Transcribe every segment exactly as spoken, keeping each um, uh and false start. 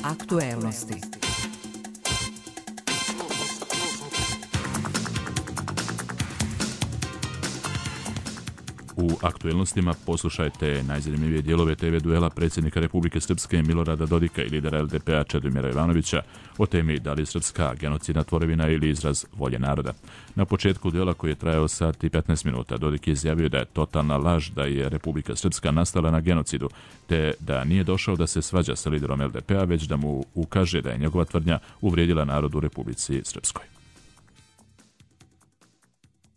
Aktuelnosti. U aktuelnostima poslušajte najzanimljivije dijelove te ve duela predsjednika Republike Srpske Milorada Dodika i lidera el de pe a Čedomira Jovanovića o temi da li je Srpska genocidna tvorevina ili izraz volje naroda. Na početku duela koji je trajao sat i petnaest minuta, Dodik je izjavio da je totalna laž da je Republika Srpska nastala na genocidu, te da nije došao da se svađa sa liderom el de pe a, već da mu ukaže da je njegova tvrdnja uvrijedila narod u Republici Srpskoj.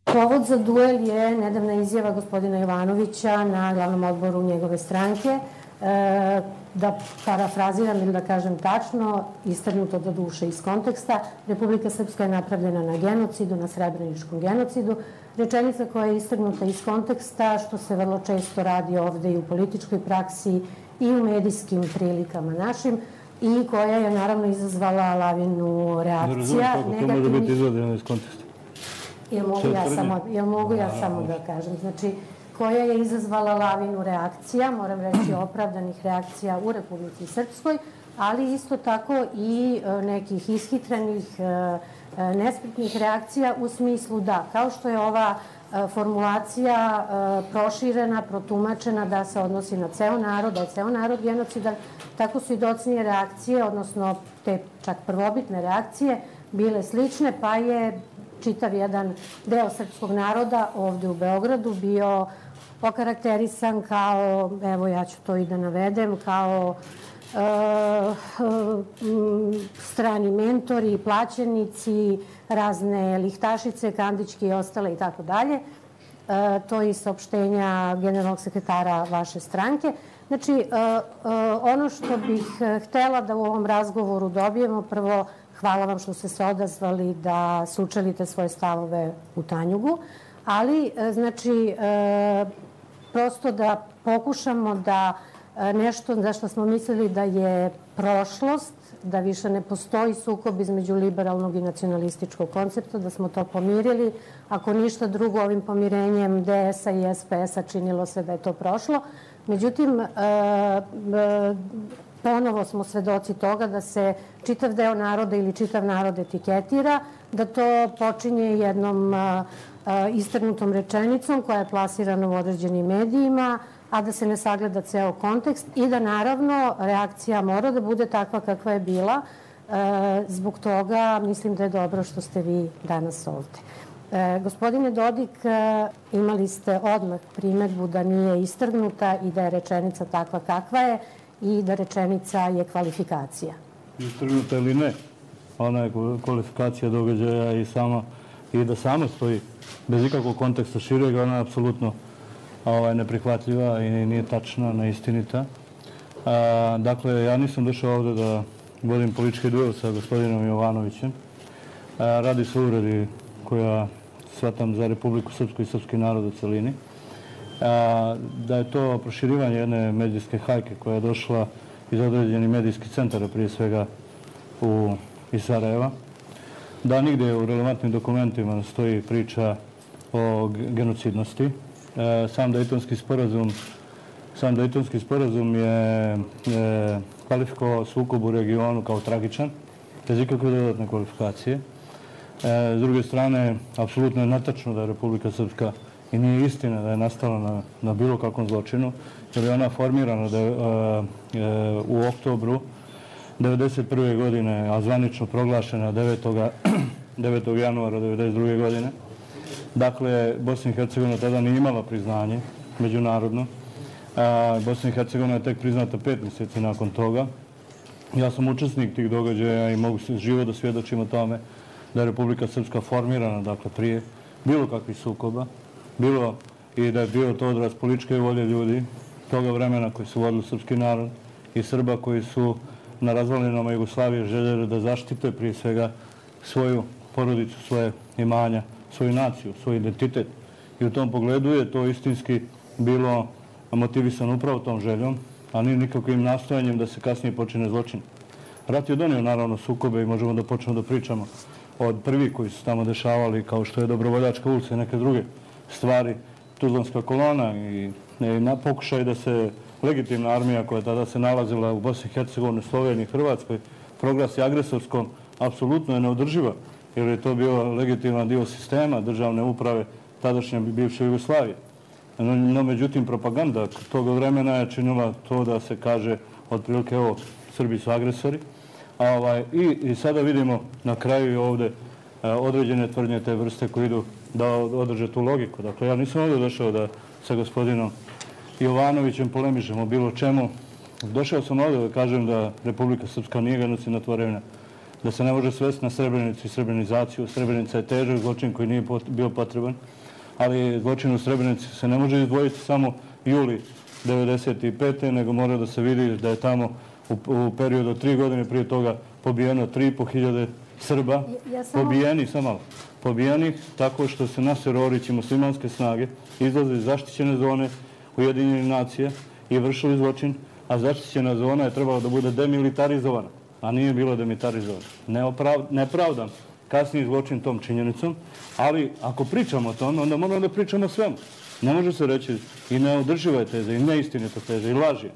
Povod za duel je nedavna izjava gospodina Jovanovića na glavnom odboru njegove stranke. E, da parafraziram ili da kažem tačno, istrgnuto do duše iz konteksta, Republika Srpska je napravljena na genocidu, na srebreničkom genocidu. Rečenica koja je istrgnuta iz konteksta, što se vrlo često radi ovde i u političkoj praksi i u medijskim prilikama našim, i koja je naravno izazvala lavinu reakcija. Ne razumijem kako to može biti izvedeno iz konteksta. Jel mogu ja samo, jel mogu ja samo da kažem? Znači, koja je izazvala lavinu reakcija, moram reći opravdanih reakcija u Republici Srpskoj, ali isto tako i nekih ishitrenih, nespretnih reakcija u smislu da, kao što je ova formulacija proširena, protumačena da se odnosi na ceo narod, da je ceo narod genocidan, tako su i docnije reakcije, odnosno te čak prvobitne reakcije, bile slične, pa je čitav jedan deo srpskog naroda ovde u Beogradu bio okarakterisan kao, evo ja ću to i da navedem, kao e, e, strani mentori, plaćenici, razne lihtašice, kandičke i ostale i tako dalje. To je i saopštenja generalnog sekretara vaše stranke. Znači, e, e, ono što bih htela da u ovom razgovoru dobijemo, prvo, hvala vam što ste se odazvali da sučelite svoje stavove u Tanjugu, ali znači prosto da pokušamo da nešto za što smo mislili da je prošlost, da više ne postoji sukob između liberalnog i nacionalističkog koncepta, da smo to pomirili. Ako ništa drugo, ovim pomirenjem de es a i es pe es a činilo se da je to prošlo. Međutim, ponovo smo svedoci toga da se čitav deo naroda ili čitav narod etiketira, da to počinje jednom istrgnutom rečenicom koja je plasirana u određenim medijima, a da se ne sagleda ceo kontekst i da naravno reakcija mora da bude takva kakva je bila. Zbog toga mislim da je dobro što ste vi danas ovde. Gospodine Dodik, imali ste odmah primedbu da nije istrgnuta i da je rečenica takva kakva je i da rečenica je kvalifikacija. Istrgnuta ili ne, ona je kvalifikacija događaja i sama i da sama stoji bez ikakvog konteksta širega, ona je apsolutno neprihvatljiva i nije tačna, neistinita. Dakle, ja nisam došao ovde da vodim politički duel sa gospodinom Jovanovićem. Radi se o uvredi koja shvatam za Republiku Srpsku i srpski narod u celini. Da je to proširivanje jedne medijske hajke koja je došla iz određenih medijskih centara, prije svega iz Sarajeva. Da nigde u relevantnim dokumentima stoji priča o genocidnosti. Sam Dejtonski sporazum, sam Dejtonski sporazum je kvalifikovao sukob u regionu kao tragičan, bez ikakve dodatne kvalifikacije. S druge strane, apsolutno je netačno da je Republika Srpska i nije istina da je nastala na, na bilo kakvom zločinu, jer je ona formirana da je, e, u oktobru devedeset prve godine, a zvanično proglašena devetog januara devedeset druge godine. Dakle, Bosna i Hercegovina tada nije imala priznanje međunarodno. A, Bosna i Hercegovina je tek priznata pet mjeseci nakon toga. Ja sam učesnik tih događaja i mogu živo da svjedočim o tome da je Republika Srpska formirana, dakle, prije bilo kakvih sukoba, bilo i da je bio to odraz političke volje ljudi toga vremena koji su vodili srpski narod i Srba koji su na razvalinama Jugoslavije željeli da zaštite prije svega svoju porodicu, svoje imanja, svoju naciju, svoj identitet. I u tom pogledu je to istinski bilo motivisano upravo tom željom, a nije nikakvim nastojanjem da se kasnije počine zločin. Rat je donio naravno sukobe i možemo da počnemo da pričamo od prvih koji su tamo dešavali, kao što je Dobrovoljačka ulica i neke druge stvari, Tuzlanska kolona i na pokušaj da se legitimna armija koja tada se nalazila u Bosni i Hercegovini, Sloveniji i Hrvatskoj proglasi agresorskom, apsolutno je neodrživa, jer je to bio legitiman dio sistema državne uprave tadašnje bivše Jugoslavije. No, no međutim, propaganda tog vremena je činila to da se kaže otprilike ovo, Srbi su agresori. A, ovaj, i, I sada vidimo na kraju i ovde e, određene tvrdnje te vrste koji idu da održe tu logiku. Dakle, ja nisam ovdje došao da sa gospodinom Jovanovićem polemišem o bilo čemu. Došao sam ovdje da kažem da Republika Srpska nije genocidna tvorevina, da se ne može svesti na Srebrenicu i srebrenizaciju. Srebrenica je težak zločin koji nije bio potreban, ali zločin u Srebrenici se ne može izdvojiti samo juli devedeset pete. nego mora da se vidi da je tamo u, u periodu od tri godine prije toga pobijeno tri i po hiljade Srba, ja samo... pobijeni, samo malo, pobijeni tako što se Naser Orić i muslimanske snage izlaze iz zaštićene zone Ujedinjenih nacija i vršili zločin, a zaštićena zona je trebala da bude demilitarizovana, a nije bila demilitarizovana. Neoprav... Nepravdam kasniji zločin tom činjenicom, ali ako pričamo o tome, onda moramo da pričamo o svemu. Ne može se reći i neodrživa je teza, i neistinita teza, i laž je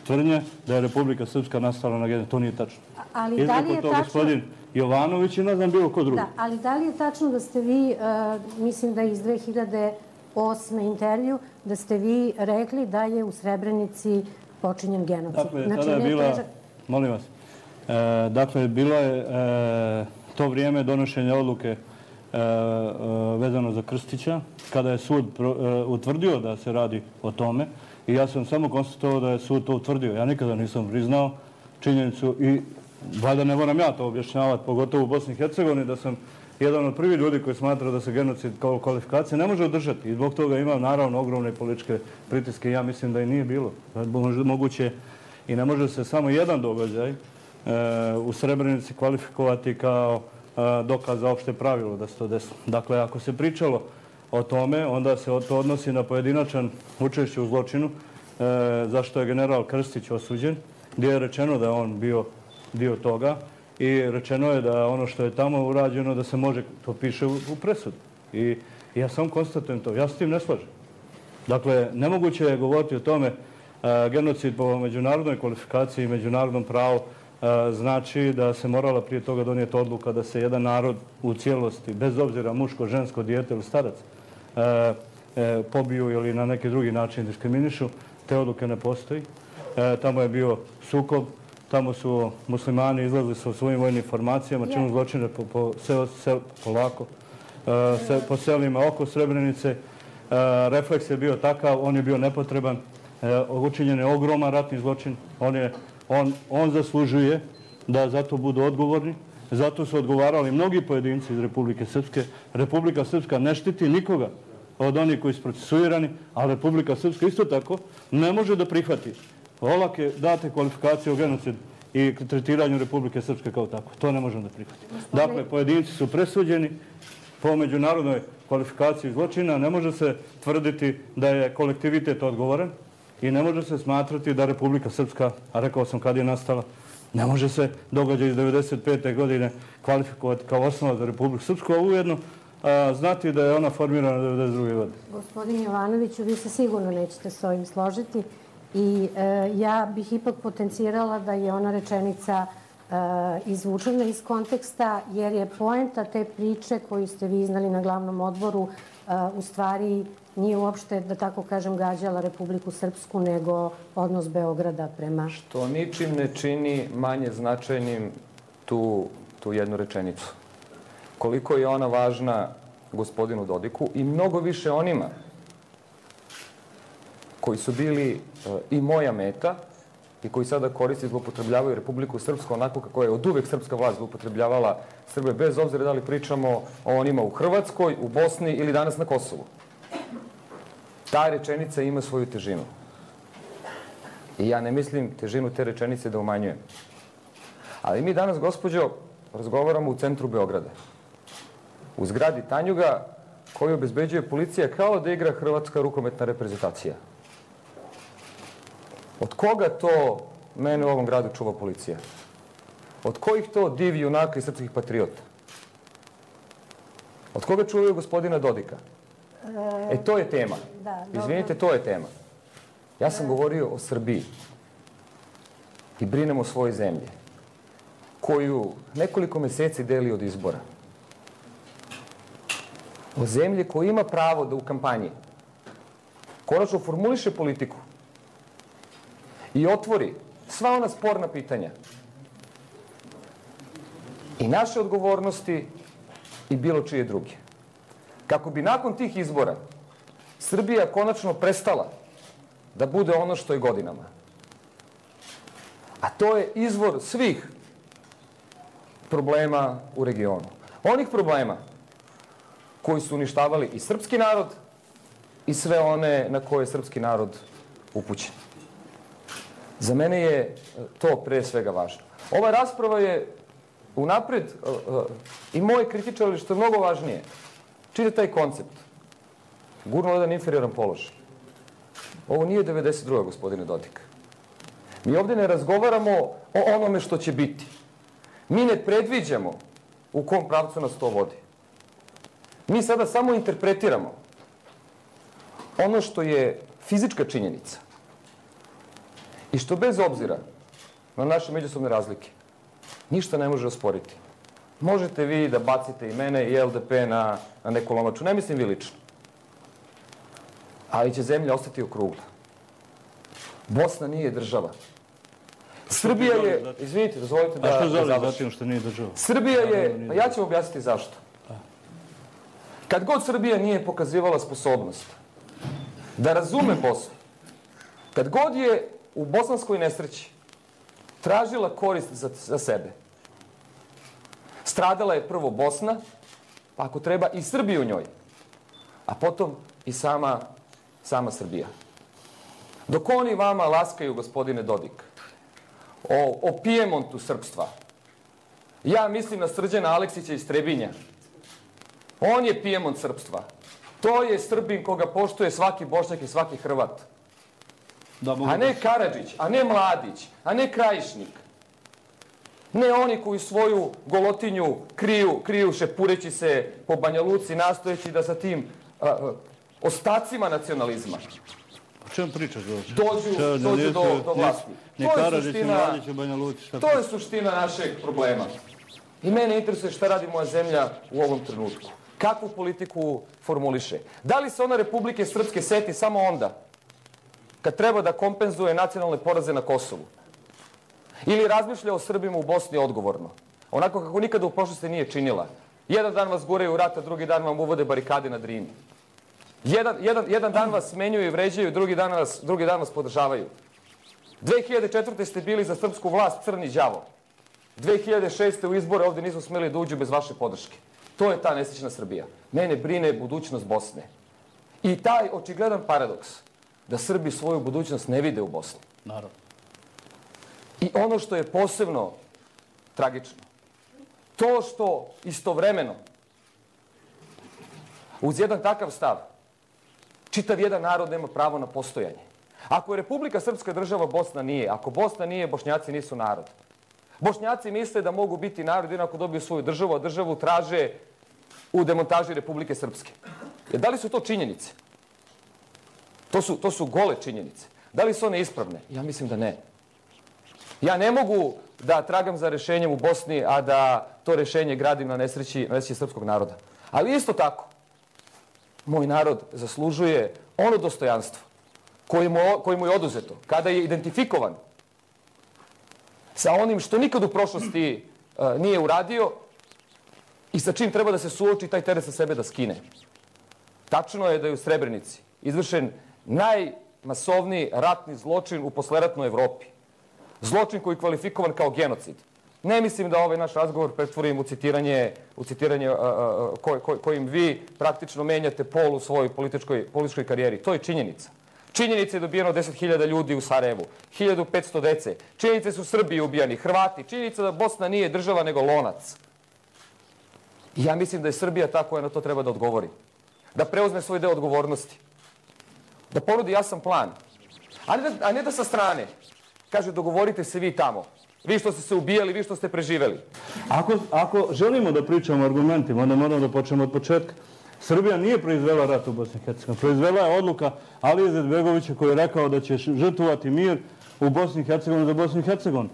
tvrdnja da je Republika Srpska nastala na genocidu. To nije tačno. Ali da li je to tačno... gospodin Jovanović i ne znam bilo ko drugi. Da, ali da li je tačno da ste vi, mislim da iz dve hiljade osme intervju, da ste vi rekli da je u Srebrenici počinjen genocid? Dakle, tada je bila, molim vas, dakle, bilo je to vrijeme donošenja odluke vezano za Krstića, kada je sud utvrdio da se radi o tome, i ja sam samo konstatovao da je sud to utvrdio. Ja nikada nisam priznao činjenicu i valjda ne moram ja to objašnjavati, pogotovo u Bosni i Hercegovini, da sam jedan od prvih ljudi koji smatra da se genocid kao kvalifikacija ne može održati. I zbog toga imam naravno ogromne političke pritiske. Ja mislim da i nije bilo. Moguće i ne može se samo jedan događaj u Srebrenici kvalifikovati kao dokaz za opšte pravilo da se to desi. Dakle, ako se pričalo o tome, onda se to odnosi na pojedinačan učešće u zločinu, zašto je general Krstić osuđen, gdje je rečeno da je on bio dio toga i rečeno je da ono što je tamo urađeno, da se može, to piše u presudu. I ja sam konstatujem to. Ja s tim ne slažem. Dakle, nemoguće je govoriti o tome genocid po međunarodnoj kvalifikaciji i međunarodnom pravu znači da se morala prije toga donijeti odluka da se jedan narod u cijelosti, bez obzira muško, žensko, dijete ili starac, pobiju ili na neki drugi način diskriminišu. Te odluke ne postoji. Tamo je bio sukob, tamo su muslimani izlazili sa svojim vojnim formacijama, činu zločine po, po, sel, sel, polako, se, po selima oko Srebrenice. Refleks je bio takav, on je bio nepotreban, učinjen je ogroman ratni zločin, on, je, on, on zaslužuje da zato budu odgovorni. Zato su odgovarali mnogi pojedinci iz Republike Srpske. Republika Srpska ne štiti nikoga od onih koji su procesuirani, a Republika Srpska isto tako ne može da prihvati olake date kvalifikacije o genocidu i tretiranju Republike Srpske kao tako. To ne možemo da prihvatimo. Dakle, pojedinci su presuđeni po međunarodnoj kvalifikaciji zločina. Ne može se tvrditi da je kolektivitet odgovoran i ne može se smatrati da Republika Srpska, a rekao sam kad je nastala, ne može se događaj iz devedeset pete godine kvalifikovati kao osnova za Republiku Srpsku, a ujedno a, znati da je ona formirana devedeset druge godine. Gospodin Jovanoviću, vi se sigurno nećete s ovim složiti i e, ja bih ipak potencirala da je ona rečenica e, izvučena iz konteksta, jer je poenta te priče koju ste vi iznali na glavnom odboru e, u stvari nije uopšte, da tako kažem, gađala Republiku Srpsku, nego odnos Beograda prema... Što ničim ne čini manje značajnim tu, tu jednu rečenicu. Koliko je ona važna gospodinu Dodiku i mnogo više onima koji su bili i moja meta i koji sada koristi i zloupotrebljavaju Republiku Srpsku onako kako je od uvek srpska vlast zloupotrebljavala Srbe, bez obzira da li pričamo o onima u Hrvatskoj, u Bosni ili danas na Kosovu. Ta rečenica ima svoju težinu. I ja ne mislim težinu te rečenice da umanjujem. Ali mi danas, gospođo, razgovaramo u centru Beograda. U zgradi Tanjuga koju obezbeđuje policija kao da igra hrvatska rukometna reprezentacija. Od koga to mene u ovom gradu čuva policija? Od kojih to divi junaka i srpskih patriota? Od koga čuvaju gospodina Dodika? E, to je tema. Izvinite, to je tema. Ja sam govorio o Srbiji i brinem o svojoj zemlji, koju nekoliko meseci deli od izbora. O zemlji koja ima pravo da u kampanji konačno formuliše politiku i otvori sva ona sporna pitanja i naše odgovornosti i bilo čije druge. Kako bi nakon tih izbora Srbija konačno prestala da bude ono što je godinama. A to je izvor svih problema u regionu. Onih problema koji su uništavali i srpski narod i sve one na koje je srpski narod upućen. Za mene je to pre svega važno. Ova rasprava je unapred i moje kritičari, što je mnogo važnije, čini taj koncept. Gurnuo jedan inferioran položaj. Ovo nije devedeset druga gospodine Dodik. Mi ovdje ne razgovaramo o onome što će biti. Mi ne predviđamo u kom pravcu nas to vodi. Mi sada samo interpretiramo ono što je fizička činjenica i što bez obzira na naše međusobne razlike ništa ne može osporiti. Možete vi da bacite i mene i L D P na, na neku lomaču, ne mislim vi lično. Ali će zemlja ostati okrugla. Bosna nije država. Srbija je, izvinite, dozvolite da... A što želi završim. zatim što nije država? Srbija je, pa ja ću objasniti zašto. Kad god Srbija nije pokazivala sposobnost da razume Bosnu, kad god je u bosanskoj nesreći tražila korist za, za sebe, stradala je prvo Bosna, pa ako treba i Srbija u njoj, a potom i sama, sama Srbija. Dok oni vama laskaju, gospodine Dodik, o, o Pijemontu srpstva, ja mislim na Srđana Aleksića iz Trebinja. On je Pijemont srpstva. To je Srbin koga poštuje svaki Bošnjak i svaki Hrvat. A ne Karadžić, a ne Mladić, a ne Krajišnik. Ne oni koji svoju golotinju kriju, kriju šepureći se po Banja Luci, nastojeći da sa tim a, a, ostacima nacionalizma O čem pričaš? dođu, dođu do, do vlasti. Ni Karadžić, ni Mladić u Banja Luci. To je suština našeg problema. I mene interesuje šta radi moja zemlja u ovom trenutku. Kakvu politiku formuliše. Da li se ona Republike Srpske seti samo onda kad treba da kompenzuje nacionalne poraze na Kosovu? Ili razmišlja o Srbima u Bosni odgovorno? Onako kako nikada u prošlosti nije činila. Jedan dan vas guraju u rat, a drugi dan vam uvode barikade na Drini. Jedan, jedan, jedan dan vas smenjuju i vređaju, drugi dan vas, drugi dan vas podržavaju. dve hiljade četvrte. ste bili za srpsku vlast crni đavo. dve hiljade šeste. u izbore ovdje nisu smeli da uđu bez vaše podrške. To je ta nesrećna Srbija. Mene brine budućnost Bosne. I taj očigledan paradoks da Srbi svoju budućnost ne vide u Bosni. Naravno. I ono što je posebno tragično, to što istovremeno uz jedan takav stav čitav jedan narod nema pravo na postojanje. Ako je Republika Srpska država, Bosna nije. Ako Bosna nije, Bošnjaci nisu narod. Bošnjaci misle da mogu biti narod jedino ako dobiju svoju državu, a državu traže u demontaži Republike Srpske. Jer da li su to činjenice? To su, to su gole činjenice. Da li su one ispravne? Ja mislim da ne. Ja ne mogu da tragam za rešenjem u Bosni, a da to rešenje gradim na nesreći, na nesreći srpskog naroda. Ali isto tako, moj narod zaslužuje ono dostojanstvo koje mu, koje mu je oduzeto kada je identifikovan sa onim što nikad u prošlosti uh, nije uradio i sa čim treba da se suoči taj teret sa sebe da skine. Tačno je da je u Srebrenici izvršen najmasovniji ratni zločin u posleratnoj Evropi. Zločin koji je kvalifikovan kao genocid. Ne mislim da ovaj naš razgovor pretvorim u citiranje, u citiranje uh, uh, koj, koj, kojim vi praktično menjate pol u svojoj političkoj, političkoj karijeri. To je činjenica. Činjenice je dobijeno deset hiljada ljudi u Sarajevu, hiljadu petsto dece. Činjenice su Srbi ubijani, Hrvati. Činjenica da Bosna nije država nego lonac. I ja mislim da je Srbija ta koja na to treba da odgovori. Da preuzme svoj deo odgovornosti. Da ponudi jasan plan. A ne da, a ne da sa strane kaže dogovorite se vi tamo. Vi što ste se ubijali, vi što ste preživeli. Ako, ako želimo da pričamo o argumentima, onda moramo da počnemo od početka. Srbija nije proizvela rat u Bosni i Hercegovini. Proizvela je odluka Alije Izetbegovića koji je rekao da će žrtvovati mir u Bosni i Hercegovini za Bosnu i Hercegovinu.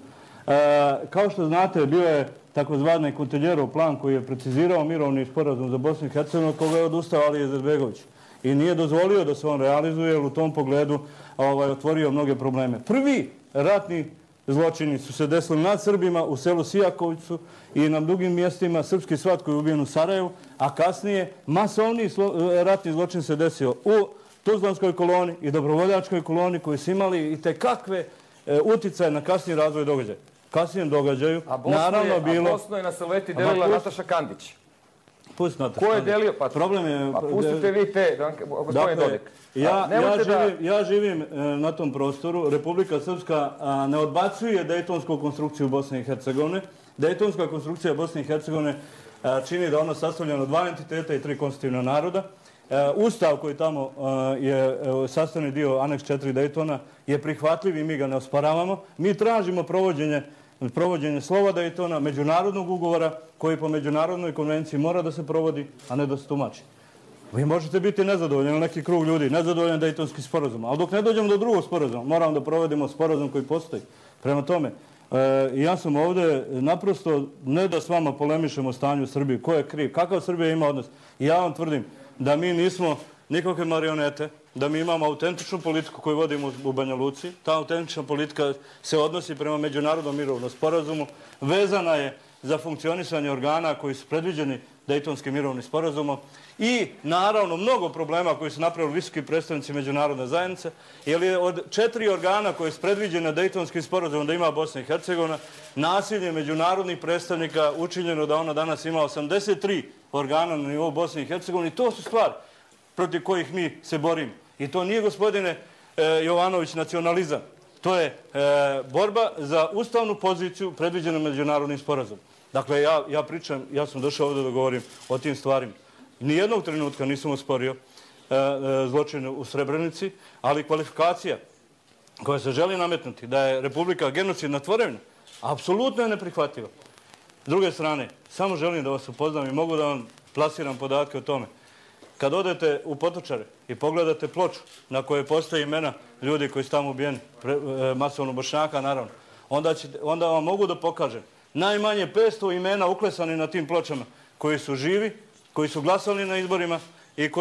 Kao što znate, bio je takozvani Kutiljerov plan koji je precizirao mirovni sporazum za Bosnu i Hercegovinu, koga je odustao Alija Izetbegović. I nije dozvolio da se on realizuje, jer u tom pogledu otvorio mnoge probleme. Prvi ratni zločini su se desili nad Srbima u selu Sijakovicu i na drugim mjestima. Srpski svat koji je ubijen u Sarajevu, a kasnije masovni ratni zločin se desio u Tuzlanskoj koloni i Dobrovoljačkoj koloni koji su imali i tekakve uticaje na kasniji razvoj događaja. Kasnijem događaju, naravno bilo... A Bosnu je na Salveti delila Nataša Kandić. Pusti Nataša Ko je delio? Problem je... Pa pustite vi te, gospodine Dodik. Ja živim na tom prostoru. Republika Srpska ne odbacuje dejtonsku konstrukciju Bosne i Hercegovine. Dejtonska konstrukcija Bosne i Hercegovine čini da ono sastavljeno dva entiteta i tri konstitutivna naroda. Ustav koji tamo je sastavni dio aneks četiri Dejtona je prihvatljiv i mi ga ne osporavamo. Mi tražimo provođenje provođenje slova Dejtona, međunarodnog ugovora koji po međunarodnoj konvenciji mora da se provodi, a ne da se tumači. Vi možete biti nezadovoljni, neki krug ljudi, nezadovoljan Dejtonski sporazum, ali dok ne dođemo do drugog sporazuma, moramo da provedemo sporazum koji postoji. Prema tome, ja sam ovdje naprosto, ne da s vama polemišemo o stanju u Srbiji, ko je kriv, kakav Srbija ima odnos. I ja vam tvrdim da mi nismo nikakve marionete, da mi imamo autentičnu politiku koju vodimo u Banja Luci. Ta autentična politika se odnosi prema međunarodnom mirovnom sporazumu. Vezana je za funkcionisanje organa koji su predviđeni Dejtonskim mirovnim sporazumom i naravno mnogo problema koji su napravili visoki predstavnici međunarodne zajednice, jer je od četiri organa koje su predviđene Dejtonskim sporazumom da ima Bosna i Hercegovina, nasilje međunarodnih predstavnika učinjeno da ona danas ima osamdeset tri organa na nivou Bosne i Hercegovine i to su stvari protiv kojih mi se borimo. I to nije, gospodine Jovanović, nacionalizam. To je borba za ustavnu poziciju predviđenu međunarodnim sporazumom. Dakle, ja pričam, ja sam došao ovdje da govorim o tim stvarima. Nijednog trenutka nisam osporio zločine u Srebrenici, ali kvalifikacija koja se želi nametnuti da je Republika genocidna tvorevina, apsolutno je neprihvatljiva. S druge strane, samo želim da vas upoznam i mogu da vam plasiram podatke o tome. Kad odete u Potočare i pogledate ploču na kojoj postoje imena ljudi koji su tamo ubijeni, masovno Bošnjaka, naravno, onda vam mogu da pokažem najmanje petsto imena uklesani na tim pločama koji su živi, koji su glasali na izborima i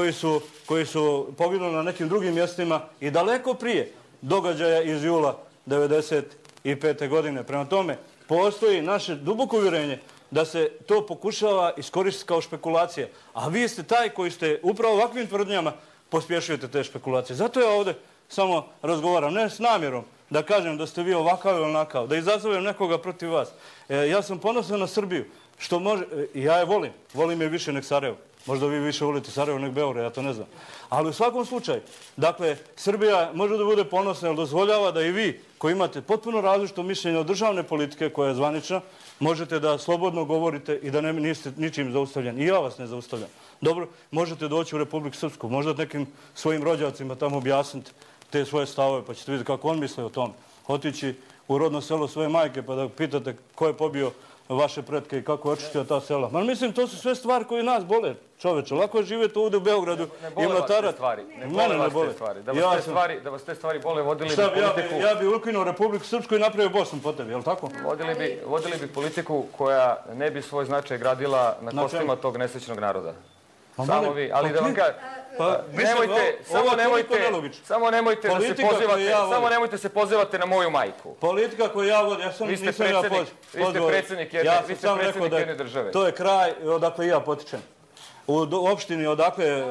koji su poginuli na nekim drugim mjestima i daleko prije događaja iz jula devedeset pete godine. Prema tome, postoji naše duboko uvjerenje da se to pokušava iskoristiti kao špekulacija. A vi ste taj koji ste upravo ovakvim tvrdnjama pospješujete te špekulacije. Zato ja ovdje samo razgovaram, ne s namjerom da kažem da ste vi ovakav ili onakav, da izazovem nekoga protiv vas. Ja sam ponosan na Srbiju, što može, ja je volim, volim je više nek Sarajevo. Možda vi više volite Sarajevo nek Beograd, ja to ne znam. Ali u svakom slučaju, dakle, Srbija može da bude ponosna, jer dozvoljava da i vi, koji imate potpuno različito mišljenje od državne politike koja je zvanična, možete da slobodno govorite i da niste ničim zaustavljeni. I ja vas ne zaustavljam. Dobro, možete doći u Republiku Srpsku, možda nekim svojim rođacima tamo objasniti te svoje stavove, pa ćete vidjeti kako on misle o tome. Otići u rodno selo svoje majke pa da pitate ko je pobio vaše pretke i kako je očistio ta sela. Ma mislim, to su sve stvari koje nas bole, čoveče. Lako je živjeti ovdje u Beogradu i mlatarat. Ne bole vas te stvari. Da vas te stvari bole, vodili bi politiku... Ja bi ukinuo Republiku Srpsku i napravio Bosnu po tebi, je li tako? Vodili bi politiku koja ne bi svoj značaj gradila na kostima tog nesrećnog naroda. Samo vi, ali da vam kažem... Nemojte, samo nemojte, samo nemojte da se pozivate, samo nemojte se pozivate na moju majku. Politika koju ja vodim, ja sam nisam ja pozivao. Vi ste predsjednik jedne države. To je kraj odakle ja potičem. U opštini odakle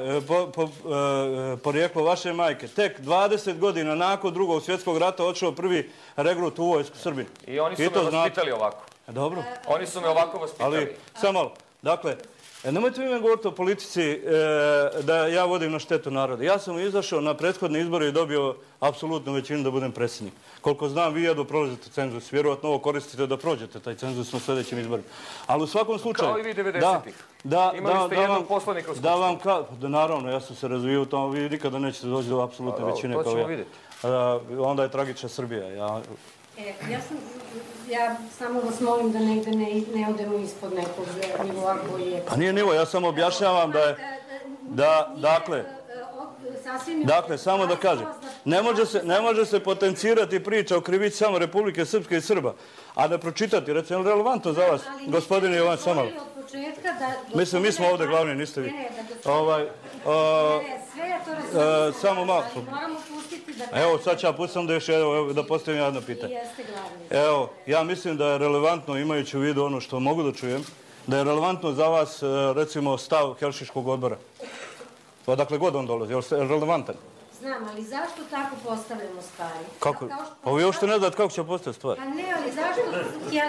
porijeklo vaše majke, tek dvadeset godina nakon drugog svjetskog rata odšao prvi regrut u vojsku Srbije. I oni su me vaspitali ovako. Dobro. Oni su me ovako vaspitali. Ali, samo malo, dakle, nemojte vi me govoriti o politici da ja vodim na štetu naroda. Ja sam izašao na prethodne izbore i dobio apsolutnu većinu da budem predsjednik. Koliko znam, vi jedno prolazite cenzus. Vjerovatno ovo koristite da prođete taj cenzus na sljedećim izborima. Ali u svakom slučaju... Kao i vi devedesetih. Imali ste jednog poslanika u Skupštini. Da vam kao... Naravno, ja sam se razvijao u tom. Vi nikada nećete doći do apsolutne većine kao ja. To ćemo vidjeti. Onda je tragična Srbija. Ja... Ja samo vas molim da ne odemo ispod nekog nivoa koji je... Pa nije nivo, ja samo objašnjavam da je... da, dakle, dakle, samo da kažem, ne može se, ne može se potencirati priča o krivici samo Republike Srpske i Srba, a da pročitati, recimo, relevantno za vas, gospodine Jovan Samal. Mislim, mi smo ovde glavni, niste vi. Ovaj, samo malo. Evo, sad ću ja pustim da još da postavim jedno pitanje. Evo, ja mislim da je relevantno, imajući u vidu ono što mogu da čujem, da je relevantno za vas, recimo, stav Helsinškog odbora. Odakle god on dolazi, je li relevantan? Znam, ali zašto tako postavljamo stvari? Kako? Pa vi uopšte ne znate kako će postaviti stvari. Pa ne, ali zašto?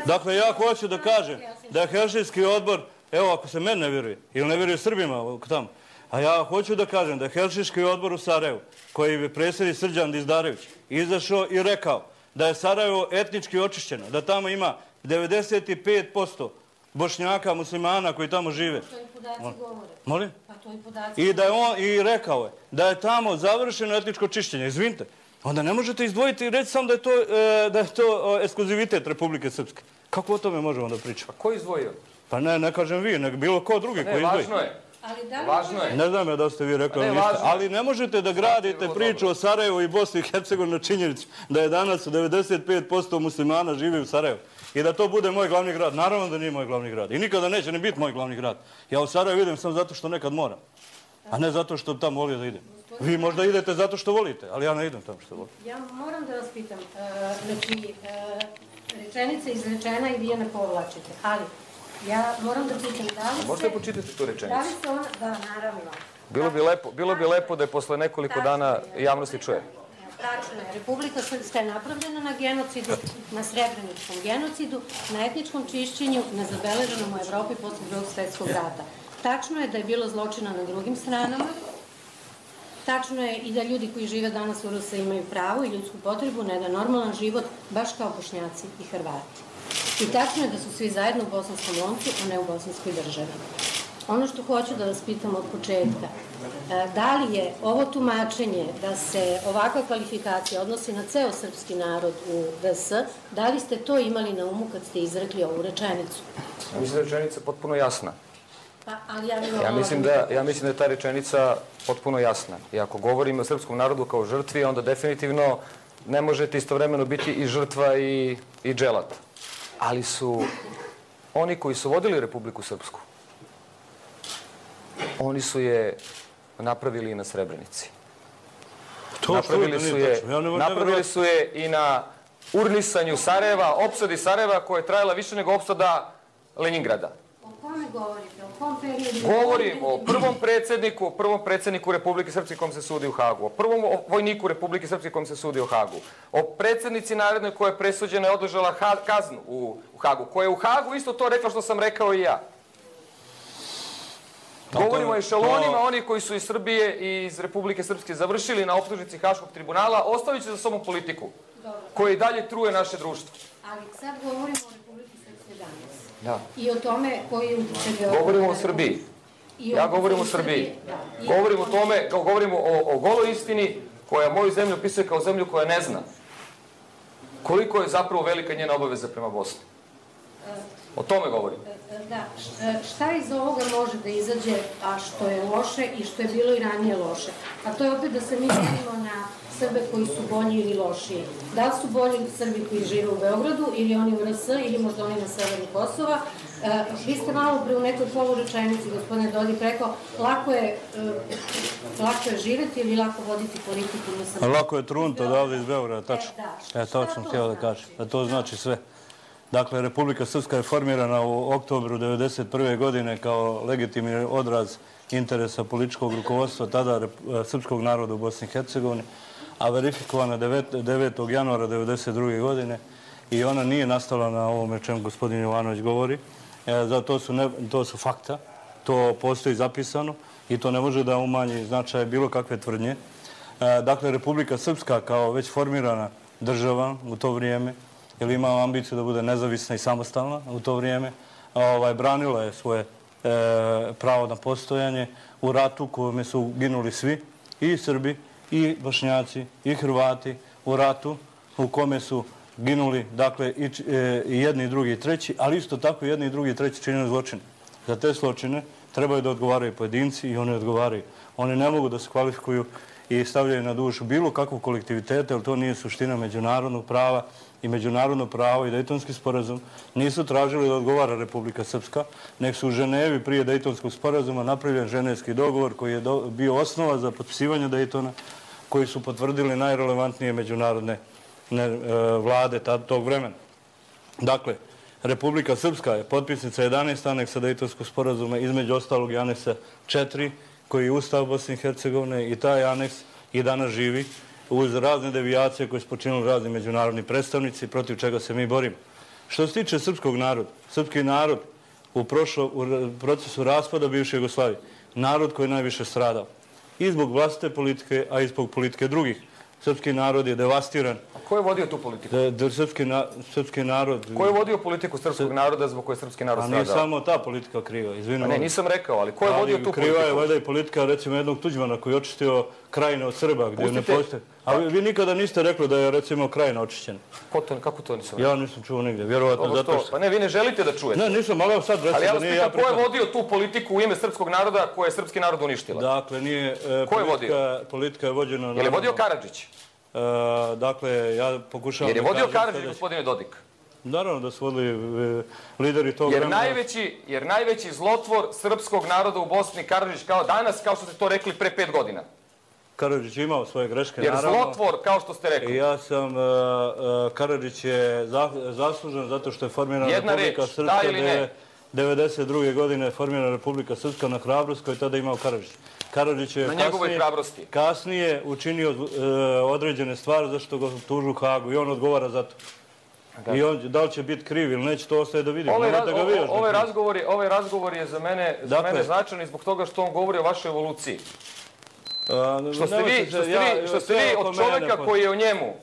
Dakle, ja hoću da kažem da je Helsinški odbor, evo, ako se meni ne vjeruje, ili ne vjeruje Srbima tamo, a ja hoću da kažem da je Helsinški odbor u Sarajevu, koji je predsjednik Srđan Dizdarević, izašao i rekao da je Sarajevo etnički očišćeno, da tamo ima devedeset pet posto Bošnjaka, muslimana koji tamo žive. To i podaci govore. Molim? Pa to i podaci I da je on i rekao je da je tamo završeno etničko čišćenje. Izvinite, onda ne možete izdvojiti i reći sam da je to, da je to ekskluzivitet Republike Srpske. Kako o tome možemo da pričamo? Ko je izdvojio? Pa ne, ne kažem vi, nego bilo ko drugi koji izdvoji. Važno je. Važno je. Ne znam ja da ste vi rekli ništa, ali ne možete da gradite priču o Sarajevu i Bosni i Hercegovini na činjenicu da je danas devedeset pet posto muslimana živi u Sarajevu i da to bude moj glavni grad. Naravno da nije moj glavni grad i nikada neće ni biti moj glavni grad. Ja u Sarajevu idem samo zato što nekad moram, a ne zato što tamo volio da idem. Vi možda idete zato što volite, ali ja ne idem tamo što volim. Ja moram da vas pitam, znači, rečenica izrečena i vi je ne povlačite, ali ja moram da pitam da li se... Možete počitati tu rečenicu? Da li se ona... Da, naravno. Bilo bi lepo, bilo bi lepo da je posle nekoliko dana javnosti čuje. Tačno je. Republika Srpska je napravljena na genocidu, na srebreničkom genocidu, na etničkom čišćenju, nezabeleženom u Evropi posle drugog svjetskog rata. Tačno je da je bilo zločina na drugim stranama. Tačno je i da ljudi koji žive danas u Rusiji imaju pravo i ljudsku potrebu na jedan normalan život, baš kao Bošnjaci i Hrvati. I tačno je da su svi zajedno u bosanskom loncu, a ne u bosanskoj državi. Ono što hoću da vas pitam od početka, da li je ovo tumačenje da se ovakva kvalifikacija odnosi na ceo srpski narod u D S, da li ste to imali na umu kad ste izrekli ovu rečenicu? Ja mislim da je rečenica potpuno jasna. Pa, ali ja, ja, mislim da, ja mislim da je ta rečenica potpuno jasna. I ako govorimo o srpskom narodu kao žrtvi, onda definitivno ne možete istovremeno biti i žrtva i, i dželat. Ali su oni koji su vodili Republiku Srpsku, oni su je napravili i na Srebrenici. Napravili su je, napravili su je i na urnisanju Sarajeva, opsadi Sarajeva koja je trajala više nego opsada Leningrada. O kome govorite? O kom periodu? Govorim o prvom predsjedniku, o prvom predsjedniku Republike Srpske kom se sudi u Hagu, o prvom vojniku Republike Srpske kom se sudi u Hagu, o predsjednici narodnoj koja je presuđena i odležala kaznu u Hagu, koja je u Hagu isto to rekla što sam rekao i ja. Govorimo o ešelonima, oni koji su iz Srbije i iz Republike Srpske završili na optužnici Haškog tribunala, ostavit će za sobom politiku koja i dalje truje naše društvo. Ali sad govorimo o Republike Srpske danas. Da. I o tome koji je... Govorimo o Srbiji. Ja govorim o Srbiji. Govorim o tome, govorimo o, o goloj istini koja moju zemlju opisuje kao zemlju koja ne zna koliko je zapravo velika njena obaveza prema Bosni. O tome govorim. Da. Šta iz ovoga može da izađe, a što je loše i što je bilo i ranije loše? A to je opet da se mi delimo na Srbe koji su bolji ili lošiji. Da li su bolji Srbi koji žive u Beogradu ili oni u R S ili možda oni na severu Kosova? Vi ste malo pre u nekoj polurečenici, gospodine Dodik, rekao lako je, lako je živeti ili lako voditi politiku? Lako je trunto odavde iz Beograda, tačno. E, to sam htio da kažem. Da to znači sve. Dakle, Republika Srpska je formirana u oktobru devedeset prve godine kao legitimni odraz interesa političkog rukovodstva tada srpskog naroda u Bosni i Hercegovini, a verifikovana devetog januara devedeset druge godine i ona nije nastala na ovome čemu gospodin Jovanović govori. Zato su, ne, to su fakta, to postoji zapisano i to ne može da umanji značaj bilo kakve tvrdnje. Dakle, Republika Srpska kao već formirana država u to vrijeme, jer imala ambiciju da bude nezavisna i samostalna u to vrijeme, ovaj, branila je svoje e, pravo na postojanje u ratu u kome su ginuli svi, i Srbi, i Bošnjaci, i Hrvati, u ratu u kome su ginuli, dakle, i, e, i jedni, i drugi, i treći, ali isto tako jedni, i drugi, i treći činili zločine. Za te zločine trebaju da odgovaraju pojedinci i oni odgovaraju. Oni ne mogu da se kvalifikuju i stavljaju na dušu bilo kakvog kolektiviteta, jer to nije suština međunarodnog prava i međunarodno pravo i Dejtonski sporazum nisu tražili da odgovara Republika Srpska, nek su u Ženevi prije Dejtonskog sporazuma napravljen ženevski dogovor koji je bio osnova za potpisivanje Dejtona, koji su potvrdili najrelevantnije međunarodne vlade tog vremena. Dakle, Republika Srpska je potpisnica jedanaest aneksa Dejtonskog sporazuma, između ostalog i aneksa četiri, koji je Ustav Bosne i Hercegovine, i taj aneks i danas živi uz razne devijacije koje su počinili razni međunarodni predstavnici, protiv čega se mi borimo. Što se tiče srpskog naroda, srpski narod u procesu raspada bivše Jugoslavije, narod koji je najviše stradao. I zbog vlastite politike, a i zbog politike drugih. Srpski narod je devastiran. A ko je vodio tu politiku? Srpski narod... Ko je vodio politiku srpskog naroda zbog koje je srpski narod stradao? A nije samo ta politika kriva, izvinujem. A ne, nisam rekao, ali ko je vodio tu politiku? Kriva je valjda i politika, recimo, jednog Tuđmana koji je očistio Krajine od Srba, gdje ne postoje. A vi nikada niste rekli da je, recimo, Krajina očišćena. Kako to nisam rekao? Ja nisam čuo nigdje, vjerovatno zato što... Pa ne, vi ne želite da čujete. Ne, nisam, ali sad recimo da nije ja... Ali ja vas pitam, ko je vodio tu politiku u ime srpskog naroda koje je srpski narod uništila? Dakle, nije... Ko je vodio? Politika je vođena... Je li vodio Karadžić? Dakle, ja pokušavam... Jer je vodio Karadžić, gospodine Dodik? Naravno da su vodili lideri tog vremena. Jer najveći zlotvor srpskog naroda u Bosni, Karadžić, kao danas, kao što ste to rekli pre pet godina. Karadžić je imao svoje greške, naravno. Jer zlotvor, kao što ste rekli. Ja sam... Karadžić je zaslužen zato što je formirana Republika Srpska. devedeset druge godine formirana Republika Srpska na hrabrost koju je tada imao Karadžić. Karadžić je kasnije učinio određene stvari zašto ga tužu u Hagu i on odgovara za to. I da li će biti kriv ili neće, to ostaje da vidimo. Ovaj razgovor je za mene značajan i zbog toga što on govori o vašoj evoluciji. Što ste vi od čoveka koji je o njemu,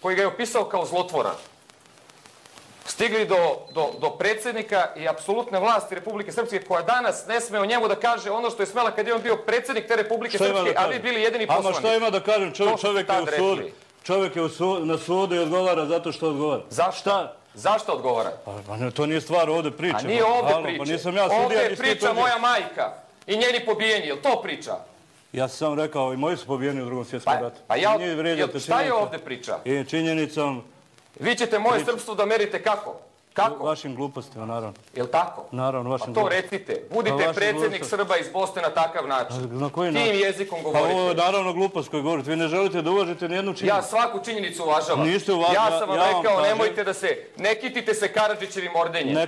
koji ga je opisao kao zlotvora, stigli do predsjednika i apsolutne vlasti Republike Srpske, koja danas ne sme o njemu da kaže ono što je smela kad je on bio predsjednik te Republike Srpske, a vi bili jedini poslanik. Ama što ima da kažem, čovjek je u sudu. Čovjek je na sudu i odgovara zato što odgovara. Zašto? Zašto odgovara? Pa to nije stvar ovdje priče. A nije ovdje priče. Ovdje je priča moja majka i njeni pobijeni. Je li to priča? Ja sam sam rekao i moji su pobijeni u drugom svjetskom ratu. Pa šta je ovdje priča? I činjenicom... Vi ćete moje srpstvo da merite kako? Kako? Vašim glupostima, naravno. Je li tako? Naravno, vašim glupostima. Pa to recite. Budite predsjednik Srba iz Bosne na takav način. Na koji način? Tim jezikom govorite. Pa ovo je naravno glupost koju govorite. Vi ne želite da uvažite nijednu činjenicu. Ja svaku činjenicu uvažavam. Niste uvažali. Ja sam vam rekao, nemojte da se... Ne kitite se Karadžićevim ordenjem.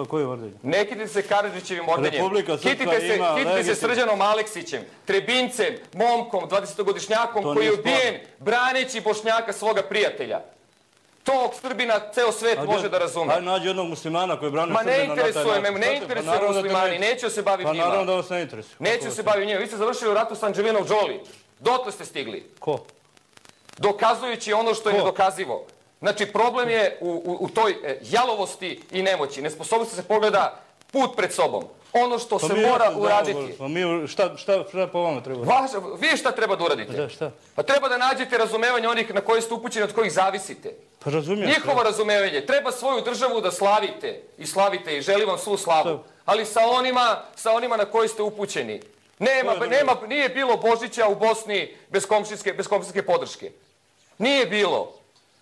Koji ordenjem? Ne kitite se Karadžićevim ordenjem. Kitite se Srđanom Aleksićem, Trebincem, momkom, dvadesetogodišnjakom koji je ubijen braneći Bošnjaka svoga prijatelja. Tog Srbina ceo svet može da razume. Hajde nađi jednog muslimana koji brani Srbina na taj način. Ma ne interesuje me, ne interesuje muslimani, neću se baviti njima. Pa naravno da vas ne interesuje. Neću se baviti njima. Vi ste završili u ratu s Anđelinom Jolie. Dotle ste stigli. Ko? Dokazujući ono što je nedokazivo. Znači, problem je u toj jalovosti i nemoći. Nesposobnosti se pogleda put pred sobom. Ono što se mora uraditi. Pa mi, šta po vama treba uraditi? Vi šta treba da uradite? Šta? Pa treba da nađete razumevanje onih na koje ste upućeni, od kojih zavisite. Pa razumijem. Njihovo razumevanje. Treba svoju državu da slavite. I slavite i želim vam svu slavu. Ali sa onima na koje ste upućeni. Nije bilo Božića u Bosni bez komšijske podrške. Nije bilo.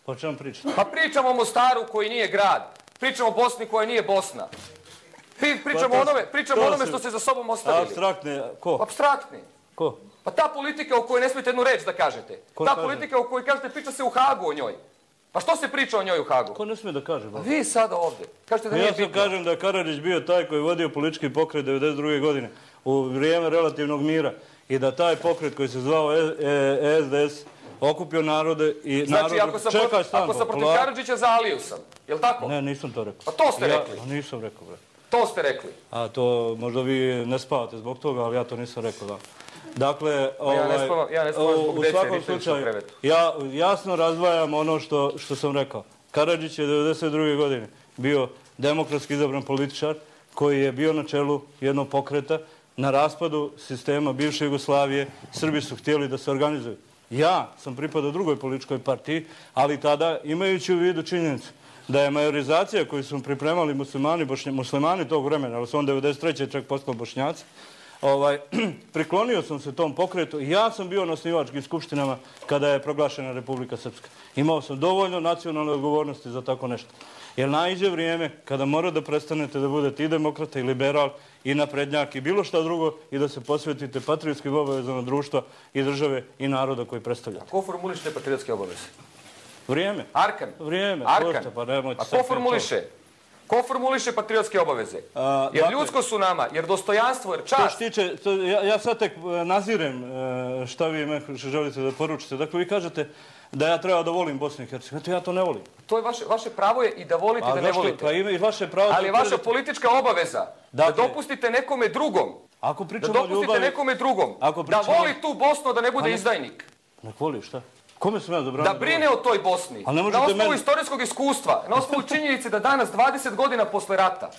Pa o čemu pričate? Pa pričamo o Mostaru koji nije grad. Pričamo o Bosni koja nije Bosna. Pričamo o onome što ste za sobom ostavili. Apstraktne, ko? Apstraktni. Ko? Pa ta politika o kojoj ne smijete jednu reč da kažete. Ta politika o kojoj kažete priča se u Hagu o njoj. Pa što se priča o njoj u Hagu? Ko ne smije da kaže? Pa vi sada ovdje. Kažete da nije bitno. Ja sam kažem da je Karadžić bio taj koji je vodio politički pokret devedeset druge godine u vrijeme relativnog mira i da taj pokret koji se zvao S D S okupio narode i narod... Znači, ako sam protiv Karadžića, za Aliju sam. Je li tako? Ne, nisam to rekao. Pa to ste rekli. Nisam rekao, bre. To ste rekli. A to možda vi ne spavate zbog toga, ali ja to nisam rekao, da. Dakle, ja ne spavam zbog dece, vi ste više u krevetu. Ja jasno razdvajam ono što sam rekao. Karadžić je devedeset druge godine bio demokratski izabran političar koji je bio na čelu jednog pokreta. Na raspadu sistema bivše Jugoslavije Srbi su htjeli da se organizuju. Ja sam pripadao drugoj političkoj partiji, ali tada, imajući u vidu činjenicu da je majorizacija koju su pripremali muslimani, muslimani tog vremena, ali su on devedeset treće čak postao Bošnjaci, ovaj, priklonio sam se tom pokretu i ja sam bio na osnivačkim skupštinama kada je proglašena Republika Srpska. Imao sam dovoljno nacionalne odgovornosti za tako nešto. Jer naiđe vrijeme kada mora da prestanete da budete i demokrata i liberal i naprednjak i bilo šta drugo i da se posvetite patriotskim obavezama društva i države i naroda koji predstavljate. A ko formuliše te patriotske obaveze? Vrijeme. Arkan. Vrijeme. Arkan. Prosto, pa nemojte A sad ko formuliše? Ko formuliše patriotske obaveze? A, jer dakle, ljudsko su nama, jer dostojanstvo, jer To čast. što tiče, to, ja, ja sad tek e, nazirem e, šta vi me želite da poručite. Dakle, vi kažete da ja treba da volim Bosnu i Hercegovinu. Eto, ja to ne volim. To je vaše, vaše pravo je i da volite i da ne volite. Pa ima i vaše pravo. Ali je vaša politička obaveza Dakle, da dopustite nekome drugom, ako da pričamo o dopustite ljubavi, nekome drugom, Ako da pričamo- voli tu Bosnu, da ne bude Pa ne- izdajnik. nek voli, šta? Kome sam ja zabranio? Da brine o toj Bosni. Ali ne Na možete osnovu meni- istorijskog iskustva, na osnovu činjenice da danas, dvadeset godina posle rata,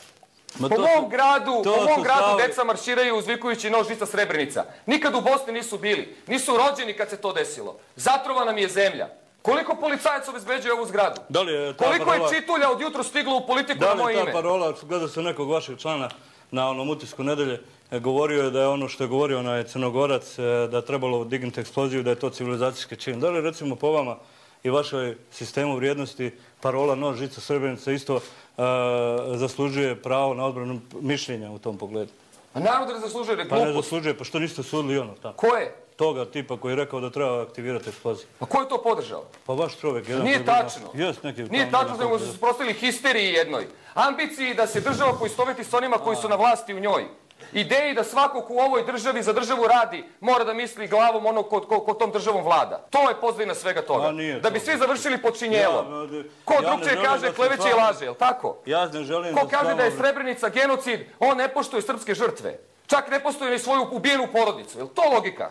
Ma po to mom su- gradu, to po mom su gradu stavovi- deca marširaju uzvikujući nož žica Srebrenica. Nikad u Bosni nisu bili. Nisu rođeni kad se to desilo. Zatrovana mi je zemlja. Koliko policajaca obezbeđuje ovu zgradu? Da li je ta Koliko parola- je čitulja od jutro stiglo u politiku Da na li moje je ime? ta parola, gleda se nekog vašeg člana na onom utisku nedelje, e, govorio je da je ono što je govorio onaj Crnogorac, e, da je trebalo dignuti eksploziju, da je to civilizacijski čin. Da li recimo po vama i vašoj sistemu vrijednosti parola nož žica Srebrenica isto e, zaslužuje pravo na odbranu mišljenja u tom pogledu? A narod ne zaslužuje, jer je Pa ne glupost. zaslužuje, pa što niste sudili ono tamo? Ko je? Toga tipa koji je rekao da treba aktivirati eksploziju. Pa ko je to podržao? Pa vaš čovjek jedan... Nije koji je- tačno. Jest neki... Nije tamo tačno, jedan nego koji- su se suprotstavili histeriji jednoj. Ambiciji da se država poistoveti s onima koji su na vlasti u njoj. Ideji da svako ko u ovoj državi za državu radi mora da misli glavom onog ko, ko, ko tom državom vlada. To je pozadina svega toga. A nije Da bi to. svi završili pod činjelom. Ja, ovdje- Ko ja ne drugčije želim kaže da se kleveće i s vama- laže, jel tako? Ja ne želim Ko da kaže s da je vama- Srebrenica genocid, on ne poštuje srpske žrtve. Čak ne poštuje ni svoju ubijenu porodicu. Je li to logika?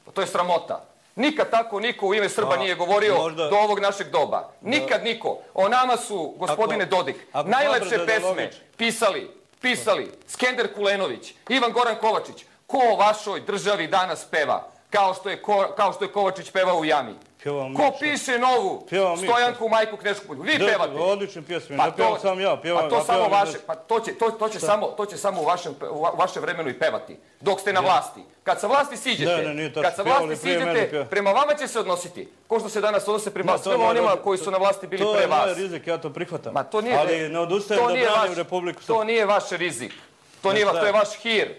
Pa to je sramota. Nikad tako niko u ime Srba Pa, nije govorio možda- do ovog našeg doba. Nikad niko. O nama su, gospodine Ako- Dodik, ako najlepše smatrate da je pesme logično. pisali, pisali Skender Kulenović, Ivan Goran Kovačić. Ko o vašoj državi danas peva? Kao što je, Ko, kao što je Kovačić pevao u jami. Pjevamo mi Ko što? piše novu Pjevamo mi Stojanku Majku Kneškopolju? Vi Da, pevate. odlične pjesme, Pa ne pjevam sam ja, pjevam... pa to ja samo pjevam vaše, za- pa to će, to, to će samo, to će samo u vašem, u va- vašem vremenu i pevati. Dok ste na vlasti. Kad sa vlasti siđete, Ne, ne, nije tačno. kad sa Pjevali vlasti prije mene, siđete, pjeva. prema vama će se odnositi. Ko što se danas odnose prema Ma, to svima ne onima odnosi- koji su na vlasti bili To pre je moj vas. rizik, ja to prihvatam. Ma to nije, Ali ne odustajem to da nije branim vaš- Republiku To Srpsku. nije vaš rizik. To Ne, nije vaš, šta to je je? vaš hir.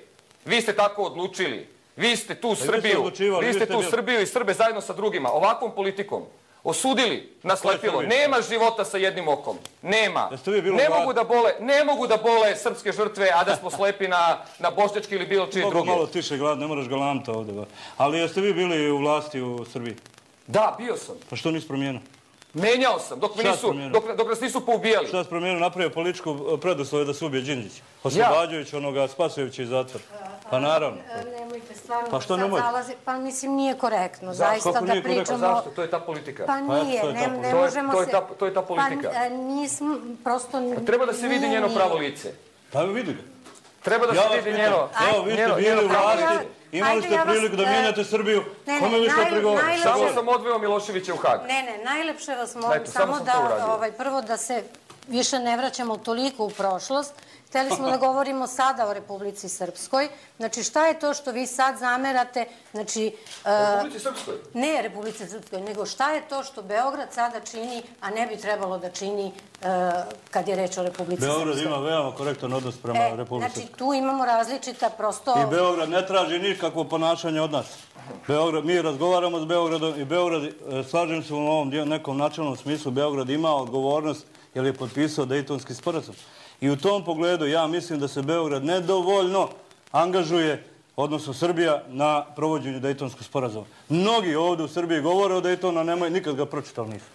Vi ste tako odlučili. Vi ste tu ste Srbiju, odlučivali, vi vi ste ste tu bili- Srbiju i Srbe zajedno sa drugima, ovakvom politikom. Osudili na slepilo. Srbiju? Nema života sa jednim okom. Nema. Jeste vi bili Ne u vladi? mogu da bole, ne mogu da bole srpske žrtve, a da smo slepi na, na bošnjački ili bilo čije Mogu druge. malo tiše glad, ne moraš galamta ovdje. ba. Ali jeste vi bili u vlasti u Srbiji? Da, bio sam. Pa što nisi promijenio? Menjao sam, dok, me Šta nisu, si promijenio? dok, dok nas nisu poubijali. Šta si promijenio, napravio političku preduslove da se ubije Đinđić? Oslobađajući onoga, spasujući iz zatvora. Pa naravno. E, Nemojte stvarno Pa što sad nemojte? zalazi- Pa mislim nije korektno, zaista Kako da nije korektno? pričamo... Zašto? To je ta politika. Pa Pa eto, nije, to je ne, ta ne politika. možemo To je se... ta- to je ta politika. Pa e, nismo, prosto... Treba da se vidi nije, njeno nije. pravo lice. Pa evo vidi ga. Treba da Ja se vas vidi pitam, njeno... evo vi ste njeno- bili njeno u pravo vlasti, lice. imali Ajde, ste ja vas, priliku da e, mijenjate Srbiju, ne, ne, kome vi što naj- prigovarate? najlepše- Samo sam odveo Miloševića u Hag. Ne, ne, najlepše vas molim Eto, samo samo sam to da uradio. ovaj, prvo da se više ne vraćamo toliko u prošlost. Hteli smo da govorimo sada o Republici Srpskoj. Znači, šta je to što vi sad zamerate? Znači, e, Republici Srpskoj. ne Republici Srpskoj, nego šta je to što Beograd sada čini, a ne bi trebalo da čini e, kad je reč o Republici Beograd Srpskoj? ima veoma korektan odnos prema E, Republici znači, Srpskoj. tu imamo različita prosto... I Beograd ne traži nikakvo ponašanje od nas. Beograd, mi razgovaramo s Beogradom i Beograd, e, slažem se u ovom dio- nekom načelnom smislu, Beograd ima odgovornost jer je potpisao Dejtonski sporazum. I u tom pogledu ja mislim da se Beograd nedovoljno angažuje, odnosno Srbija, na provođenju Dejtonskog sporazuma. Mnogi ovdje u Srbiji govore o Dejtonu, a nemoj, nikad ga pročitali nisu.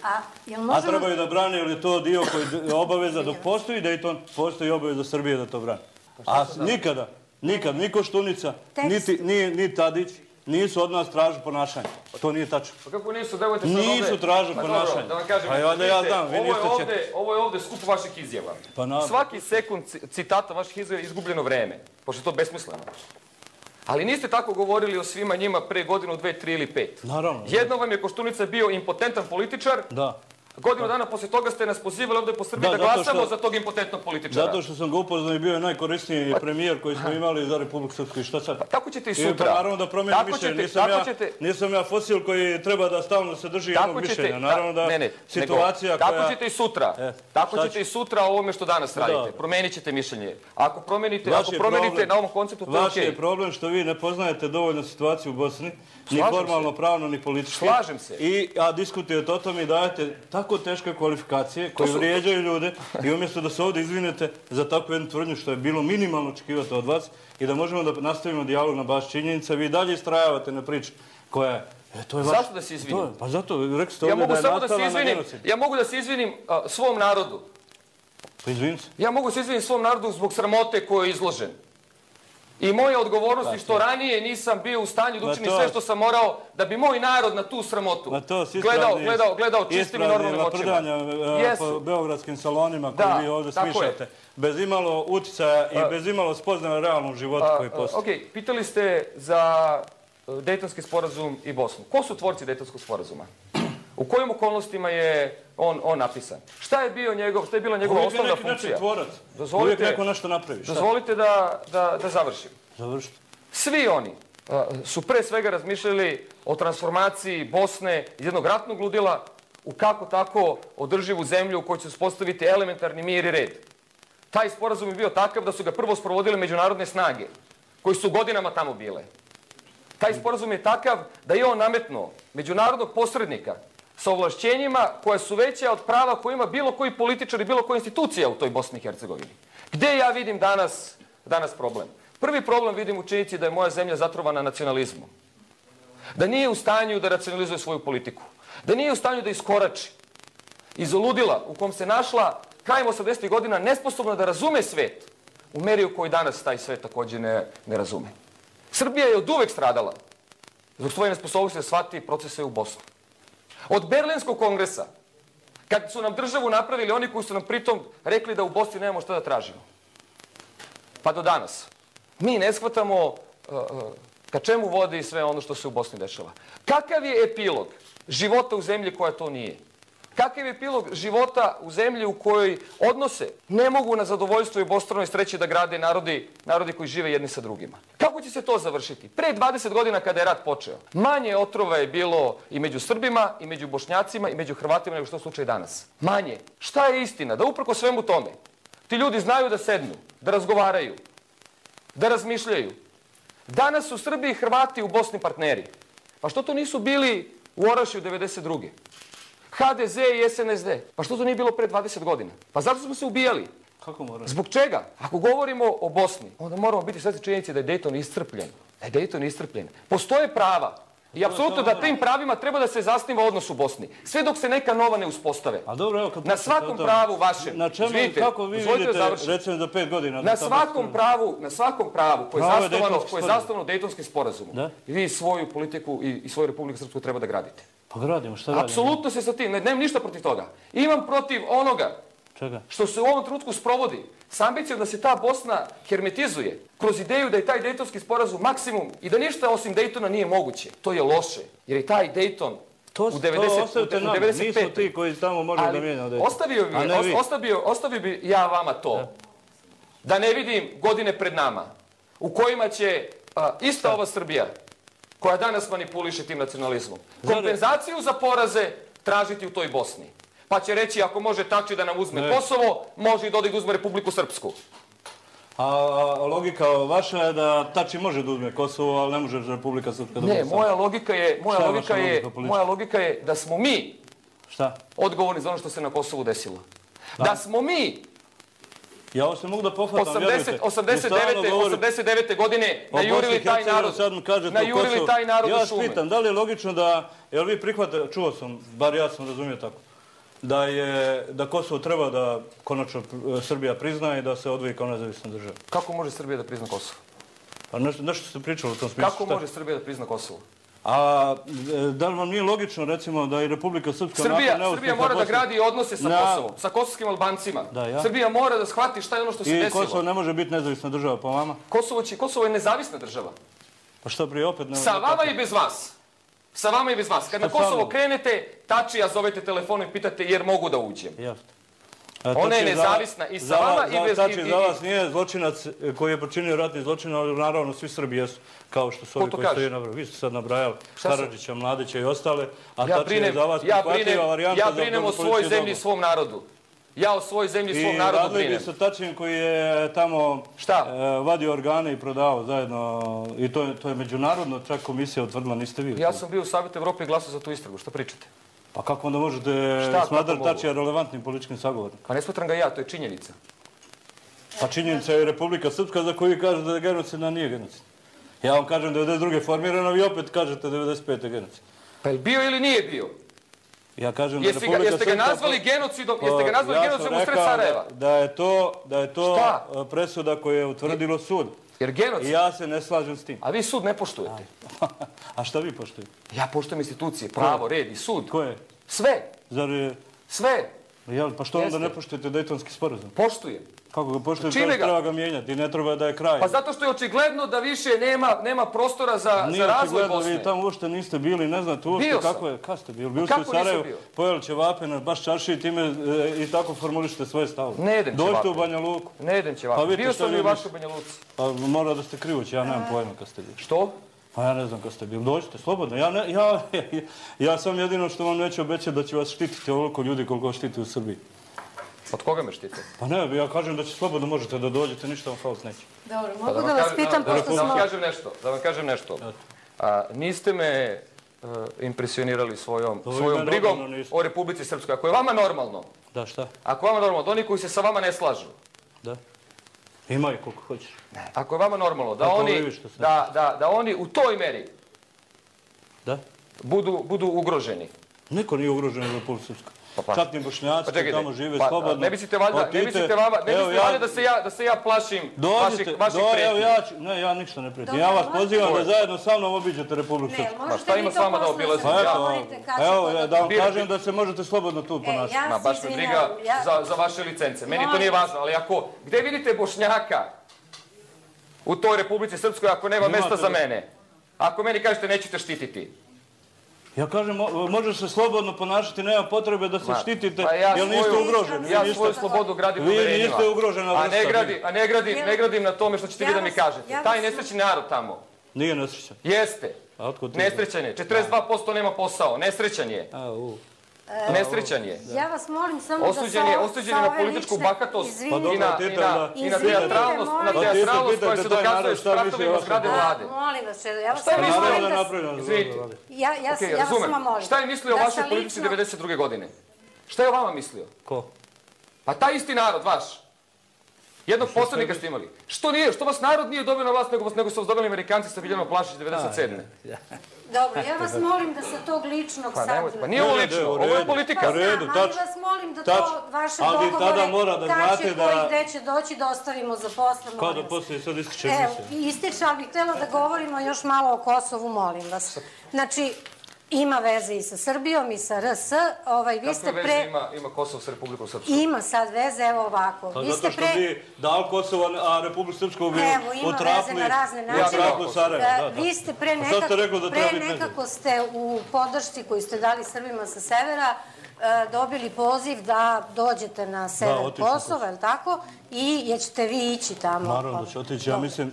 A, jel A možemo... trebaju da brane, jer je to dio koji je obaveza dok postoji Dejton, postoji obaveza Srbije da to brane. A nikada, nikad, ni Koštunica, Tekst. niti, ni, ni Tadić nisu od nas tražili ponašanje. To nije tačno. Pa kako nisu, devojte sad ovde... Nisu tražili Ma dobro, ponašanje. da vam kažem, Pa onda ja vidite, znam, vi ovo je niste će- ovde, ovo je ovde skup vaših izjava. Pa na- Svaki sekund ci- citata vaših izjava je izgubljeno vreme, pošto je to besmisleno. Ali niste tako govorili o svima njima pre godinu, dve, tri ili pet. Naravno. Jedno vam je Koštunica bio impotentan političar. Da. Godinu dana posle toga ste nas pozivali ovde po Srbiji da glasamo za tog impotentnog političara. Zato što sam ga upoznao i bio je najkorisniji premijer koji smo imali za Republiku Srpsku. I šta sad? Tako ćete i sutra. Pa naravno da promijenim mišljenje. Nisam ja fosil koji treba da stalno se drži jednog mišljenja. Naravno da situacija koja... Tako ćete i sutra. Tako ćete i sutra o ovome što danas radite. Promenit ćete mišljenje. Ako promenite na ovom konceptu, to je okej. Vaš je problem što vi ne poznajete dovoljno situaciju u Bosni. Ni formalno, pravno, ni politički. Slažem se. A diskutujete o tome i dajete tako teške kvalifikacije koje vrijeđaju ljude i umjesto da se ovdje izvinete za takvu jednu tvrdnju što je bilo minimalno očekivati od vas i da možemo da nastavimo dijalog na baš činjenica, vi dalje istrajavate na priči koja je... Zašto da se izvinim? Pa zato, rekli ste ovdje da je nastala na genocid. Ja mogu da se izvinim svom narodu. Pa izvinim se. Ja mogu da se izvinim svom narodu zbog sramote koje je izložen. I moja odgovornost je što ranije nisam bio u stanju da učinim sve što sam morao da bi moj narod na tu sramotu gledao čistim i normalnim očima. Prdanja po beogradskim salonima koje vi ovdje smišljate. Bez imalo uticaja i bez imalo spoznaja realnog života koji postoji. Ok, pitali ste za Dejtonski sporazum i Bosnu. Ko su tvorci Dejtonskog sporazuma? U kojim okolnostima je on napisan? Šta je bila njegova osnovna funkcija? Uvijek neko nešto napravi. Dozvolite da završim. Završite. Svi oni su pre svega razmišljali o transformaciji Bosne iz jednog ratnog ludila u kako tako održivu zemlju u kojoj će se uspostaviti elementarni mir i red. Taj sporazum je bio takav da su ga prvo sprovodile međunarodne snage, koji su godinama tamo bile. Taj sporazum je takav da je on nametnuo međunarodnog posrednika sa ovlašćenjima koja su veća od prava koje ima bilo koji političar i bilo koja institucija u toj Bosni i Hercegovini. Gde ja vidim danas problem? Prvi problem vidim u činjenici da je moja zemlja zatrovana nacionalizmom. Da nije u stanju da racionalizuje svoju politiku. Da nije u stanju da iskorači iz ludila u kom se našla krajem osamdesetih godina nesposobna da razume svet u meri u kojoj danas taj svet također ne razume. Srbija je od uvek stradala zbog svoje nesposobnosti da shvati procese u Bosni. Od Berlinskog kongresa, kad su nam državu napravili oni koji su nam pritom rekli da u Bosni nemamo šta da tražimo. Pa do danas. Mi ne shvatamo ka čemu vodi sve ono što se u Bosni dešava. Kakav je epilog života u zemlji koja to nije? Kakav je epilog života u zemlji u kojoj odnose ne mogu na zadovoljstvo i obostranoj sreći da grade narodi koji žive jedni sa drugima? Kako će se to završiti? Pre dvadeset godina kada je rat počeo, manje otrova je bilo i među Srbima, i među Bošnjacima, i među Hrvatima nego što je slučaj danas. Manje. Šta je istina? Da uprko svemu tome ti ljudi znaju da sednu, da razgovaraju, da razmišljaju. Danas su Srbi i Hrvati u Bosni partneri. Pa što to nisu bili u Orašju devedeset druge ha de ze i es en es de. Pa što to nije bilo pre dvadeset godina? Pa zato smo se ubijali. Kako moramo? Zbog čega? Ako govorimo o Bosni, onda moramo biti svesni činjenice da je Dejton iscrpljen. Da je Dejton iscrpljen. Postoje prava. I apsolutno da tim pravima treba da se zasniva odnos u Bosni. Sve dok se neka nova ne uspostave. Na svakom pravu vašem. Na čemu, kako vi vidite, recimo za pet godina? Na svakom pravu, na svakom pravu koje je zasnovano Dejtonskim sporazumom. Vi svoju politiku i svoju Republiku Srpsku treba da gradite. Pa gradimo, šta radimo? Apsolutno se sa tim, nemam ništa protiv toga. Imam protiv onoga što se u ovom trenutku sprovodi s ambicijom da se ta Bosna hermetizuje kroz ideju da je taj Dejtonski sporazum maksimum i da ništa osim Dejtona nije moguće. To je loše, jer je taj Dejton u devedeset pete. Nisu ti koji tamo može da mijenja Dejton. Ostavio bi ja vama to, da ne vidim godine pred nama u kojima će ista ova Srbija koja danas manipuliše tim nacionalizmom, kompenzaciju za poraze tražiti u toj Bosni. Pa će reći, ako može Tači da nam uzme Kosovo, može i da ode da uzme Republiku Srpsku. A logika vaša je da Tači može da uzme Kosovo, ali ne može Republika Srpska da uzme. Ne, moja logika je da smo mi odgovorni za ono što se na Kosovu desilo. Da smo mi Ja ovo se mogu da pohvatam, vjerujte. osamdeset devete. godine najurili taj narod u šume. Ja vas pitam, da li je logično da, jel vi prihvatate, čuo sam, bar ja sam razumio tako, da Kosovo treba da konačno Srbija prizna i da se odvoji kao nezavisna država? Kako može Srbija da prizna Kosovo? Pa nešto ste pričali u tom smislu. Kako može Srbija da prizna Kosovo? A da li vam nije logično, recimo, da i Republika Srpska... Srbija mora da gradi odnose sa Kosovom, sa kosovskim Albancima. Srbija mora da shvati šta je ono što se desilo. I Kosovo ne može biti nezavisna država, po vama? Kosovo je nezavisna država. Pa što prije opet... Sa vama i bez vas. Sa vama i bez vas. Kad na Kosovo krenete, Tačija zovete telefonom i pitate jer mogu da uđem. Jasno. Ona je nezavisna i sa vama i bez... Tačija za vas nije zločinac koji je počinio ratni zločin, ali naravno svi Srbi jesu, kao što su ovi koji ste nabrali. Vi ste sad nabrajali Karadžića, Mladića i ostale, a Tačija je za vas prihvatljiva varijanta za ja brinem o svojoj zemlji i svom narodu. Ja o svojoj zemlji i svom narodu brinem. I radili bi sa Tačijem koji je tamo vadio organe i prodao zajedno. I to je međunarodno, čak komisija utvrdila, niste vi. Ja sam bio u Savjetu Evrope i glasao za tu istragu. Što pričate? Pa kako onda možete smatrati Tačija relevantnim političkim sagovornikom? Pa ne smatram ga ja, to je činjenica. Pa činjenica je Republika Srpska za koju kažete da je genocidna, nije genocidna. Ja vam kažem devedeset druge formirano, vi opet kažete devedeset pete genocidna. Pa je bio ili nije bio? Ja kažem da Republika Srpska... Jeste ga nazvali genocidom, jeste ga nazvali genocidom u sred Sarajeva? Da je to presuda koju je utvrdilo sud. Jer genocid... I ja se ne slažem s tim. A vi sud ne poštujete. A šta vi poštujete? Ja poštujem institucije, pravo, red i sud. Koje? Sve. Zar je... Sve. Pa što onda ne poštujete Dejtonski sporazum? Poštujem. Kako ga poštujete? Čime ga? Treba ga mijenjati i ne treba da je kraj. Pa zato što je očigledno da više nema prostora za razvoj Bosne. Vi tamo uopšte niste bili, ne znate uopšte kako je. Kako ste bili? Bili ste u Sarajevu, pojeli ćevape na baš čarši i time i tako formulišete svoje stavove. Ne jedem ćevape. Dođite u Banja Luku. Ne jedem ćevape. Bio sam i u vašoj Banja Luci. Pa mora da ste krivući, ja nemam pojma kad ste bili. Što? Pa ja ne znam kad ste bili. Dođite, slobodno. Ja sam jedino što vam neću obećati da će vas štititi ovoliko ljudi koliko vas štiti u Srbiji. Od koga me štite? Pa ne, ja kažem da će slobodno možete da dođete, ništa vam faust neće. Dobro, mogu da vas pitam pošto smo... Da vam kažem nešto, da vam kažem nešto. Niste me impresionirali svojom brigom o Republici Srpskoj. Ako je vama normalno... Da, šta? Ako je vama normalno, da oni koji se sa vama ne slažu... Da. Imaju koliko hoćeš. Ako je vama normalno da oni u toj meri budu ugroženi. Niko nije ugrožen u Republici Srpskoj. Čak ni Bošnjaci koji tamo žive slobodno. Ne mislite valjda da se ja plašim vaših pretnji? Ne, ja ništa ne pretnji. Ja vas pozivam da zajedno sa mnom obiđete Republiku Srpsku. Pa šta ima s vama da obilazim? Evo, da vam kažem da se možete slobodno tu ponašati. Ma baš me briga za vaše licence. Meni to nije važno, ali ako... Gde vidite Bošnjaka u toj Republici Srpskoj ako nema mesta za mene? Ako meni kažete nećete štititi. Ja kažem, možeš se slobodno ponašati, nema potrebe da se štitite, jer niste ugroženi. Ja svoju slobodu gradim uverenjima. Vi niste ugrožena vrsta. A ne gradim na tome što ćete vi da mi kažete. Taj nesrećni narod tamo. Nije nesrećan. Jeste. Nesrećan je. četrdeset dva posto nema posao. Nesrećan je. Nesrećan je. Ja vas molim samo da sa ove lične... Osuđen je na političku bahatost i na teatralnost koja se dokazuje s pratovima zgrade vlade. Molim vas, ja vas molim da... Izvinite. Ja vas samo molim. Šta je mislio o vašoj politici devedeset druge godine? Šta je o vama mislio? Ko? Pa taj isti narod, vaš. Jednog poslanika ste imali. Što nije? Što vas narod nije dobio na vlast, nego su vas dobili Amerikanci sa Biljano Plašić devedeset sedme. Dobro, ja vas molim da sa tog ličnog sad... Pa nije ovo lično, ovo je politika. Pa znam, ali vas molim da to vaše dogovore, tači koji gde će doći da ostavimo za posle. Kada posle sad ističe emisija? Evo, ističe, ali bih htjela da govorimo još malo o Kosovu, molim vas. Znači, ima veze i sa Srbijom i sa R S. Kakve veze ima Kosovo sa Republikom Srpskom? Ima sad veze, evo ovako. Zato što bi dal Kosovo, a Republiku Srpsku bi utrapli... Evo, ima veze na razne načine. Vi ste pre nekako ste u podršci koju ste dali Srbima sa severa dobili poziv da dođete na sever Kosova, je li tako? I jer ćete vi ići tamo. Naravno da će otići. Ja mislim,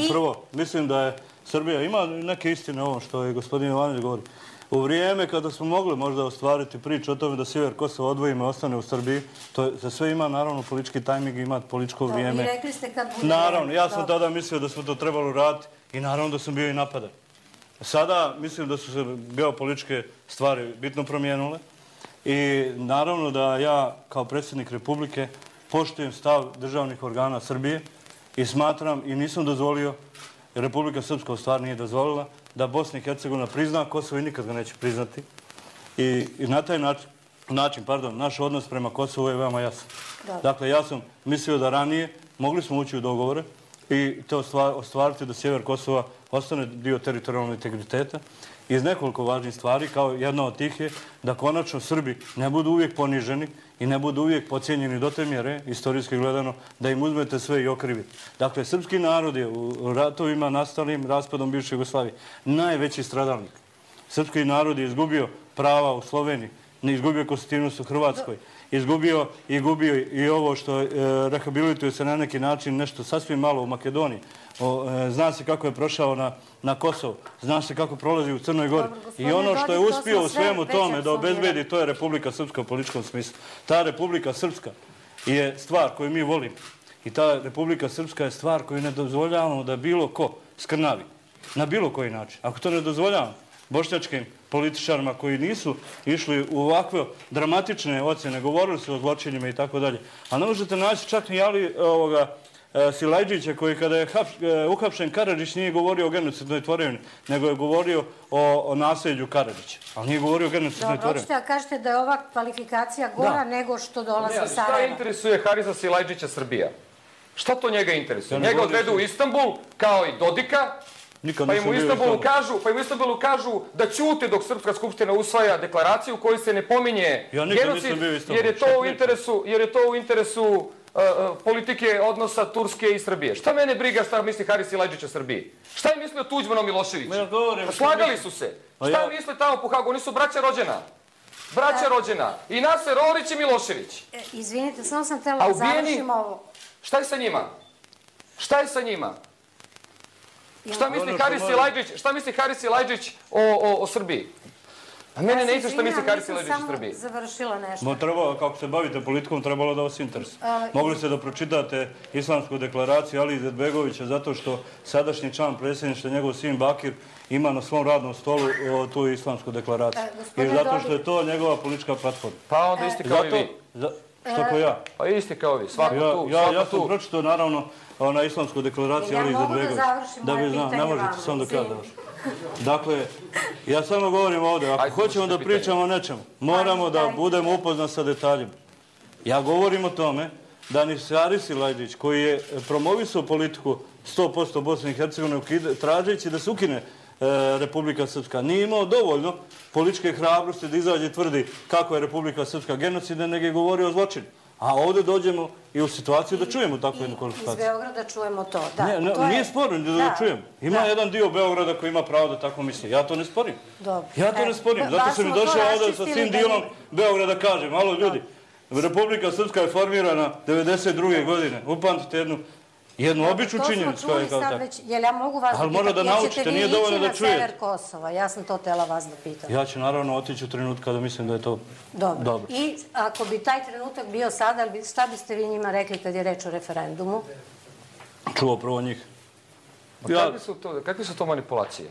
prvo, mislim da je Srbija, ima neke istine o ovom što je gospodin Jovanović govori. U vrijeme kada smo mogli možda ostvariti priču o tome da sjever Kosova odvojimo i ostane u Srbiji, to za sve ima naravno politički tajming i ima političko vrijeme. I rekli ste kad bude... Naravno, ja sam tada mislio da smo to trebalo raditi i naravno da sam bio i napadan. Sada mislim da su se geopolitičke stvari bitno promijenile i naravno da ja kao predsjednik Republike poštujem stav državnih organa Srbije i smatram i nisam dozvolio, jer Republika Srpska u stvari nije dozvolila, da Bosna i Hercegovina prizna Kosovo i nikad ga neće priznati. I na taj način, pardon, naš odnos prema Kosovu je veoma jasan. Dakle, ja sam mislio da ranije mogli smo ući u dogovore i to ostvariti da sjever Kosova ostane dio teritorijalnog integriteta iz nekoliko važnih stvari, kao jedna od tih je da konačno Srbi ne budu uvijek poniženi i ne budu uvijek pocijenjeni do te mjere, istorijski gledano, da im uzmete sve i okrivite. Dakle, srpski narod je u ratovima nastalim raspadom bivše Jugoslavije najveći stradalnik. Srpski narod je izgubio prava u Sloveniji, ne izgubio konstitutivnost u Hrvatskoj, izgubio i gubio i ovo što e, rehabilituje se na neki način nešto sasvim malo u Makedoniji. O, e, zna se kako je prošao na, na Kosovo, zna se kako prolazi u Crnoj Gori. I ono što je uspio u svemu tome da obezbedi, to je Republika Srpska u političkom smislu. Ta Republika Srpska je stvar koju mi volimo. I ta Republika Srpska je stvar koju ne dozvoljavamo da bilo ko skrnavi. Na bilo koji način. Ako to ne dozvoljavamo bošnjačkim političarima koji nisu išli u ovakve dramatične ocjene, govorili su o zločinima i tako dalje. A ne možete naći čak ni Jali ovoga Silajdžića koji kada je uhapšen Karadžić nije govorio o genocidnoj tvorevini, nego je govorio o, o nasljeđu Karadžića. Ali nije govorio o genocidnoj tvorevini. Hoćete da kažete da je ova kvalifikacija gora nego što dolazi iz Sarajeva? Šta interesuje Harisa Silajdžića Srbija? Šta to njega interesuje? Njega odvedu u Istanbul, kao i Dodika, pa im u Istanbulu kažu, pa im u Istanbulu kažu da ćute dok Srpska skupština usvaja deklaraciju u kojoj se ne pominje genocid, jer je to u interesu, jer je to u interesu politike odnosa Turske i Srbije. Šta mene briga šta misli Haris Silajdžić o Srbiji? Šta je mislio Tuđman o Miloševiću? Slagali su se. Šta misle tamo po Hagu? Oni su braća rođena. Braća rođena. I Naser Orić i Milošević. Izvinite, samo sam htjela da završim ovo. Šta je sa njima? Šta je sa njima? Šta misli Haris Silajdžić, šta misli Haris Silajdžić o, o, o Srbiji? A mene ne interesuje šta misli Haris Silajdžić o Srbiji. Ja sam samo završila nešto. Mo treba, kako se bavite politikom, trebalo da vas interesuje. Mogli ste da pročitate Islamsku deklaraciju Ali Izetbegovića zato što sadašnji član predsjedništva, njegov sin Bakir, ima na svom radnom stolu tu Islamsku deklaraciju. I zato što je to njegova politička platforma. Pa onda isti kao i vi. Što ko ja? Pa isti kao vi, svako tu. Ja sam pročitao naravno na Islamsku deklaraciju Ali Izetbegović. Ja mogu da završim moje pitanje vama. Ne možete, sam do kada vaš. Dakle, ja samo govorim ovdje, ako hoćemo da pričamo o nečemu, moramo da budemo upoznati sa detaljima. Ja govorim o tome da ni Haris Silajdžić, koji je promovisao politiku sto posto Bosne i Hercegovine, tražeći da se ukine Republika Srpska, nije imao dovoljno političke hrabrosti da izađe i tvrdi kako je Republika Srpska genocidna, nego je govorio o zločinu. A ovdje dođemo i u situaciju da čujemo takvu jednu kvalifikaciju. Iz Beograda čujemo to. Nije sporno da čujemo. Ima jedan dio Beograda koji ima pravo da tako misli. Ja to ne sporim. Ja to ne sporim. Zato sam i došao ovdje sa svim dijelom Beograda kažem. Malo ljudi, Republika Srpska je formirana devedeset druge godine. Upamtite jednu jednu običnu činjenicu. To smo čuli sad već. Jel ja mogu vas da pitam? Jel ćete vi ići na sever Kosova? Ja sam to htjela vas da pitam. Ja ću naravno otići u trenutku kada mislim da je to dobro. I ako bi taj trenutak bio sada, šta biste vi njima rekli kad je reč o referendumu? Čuo prvo njih. Kakve su to manipulacije?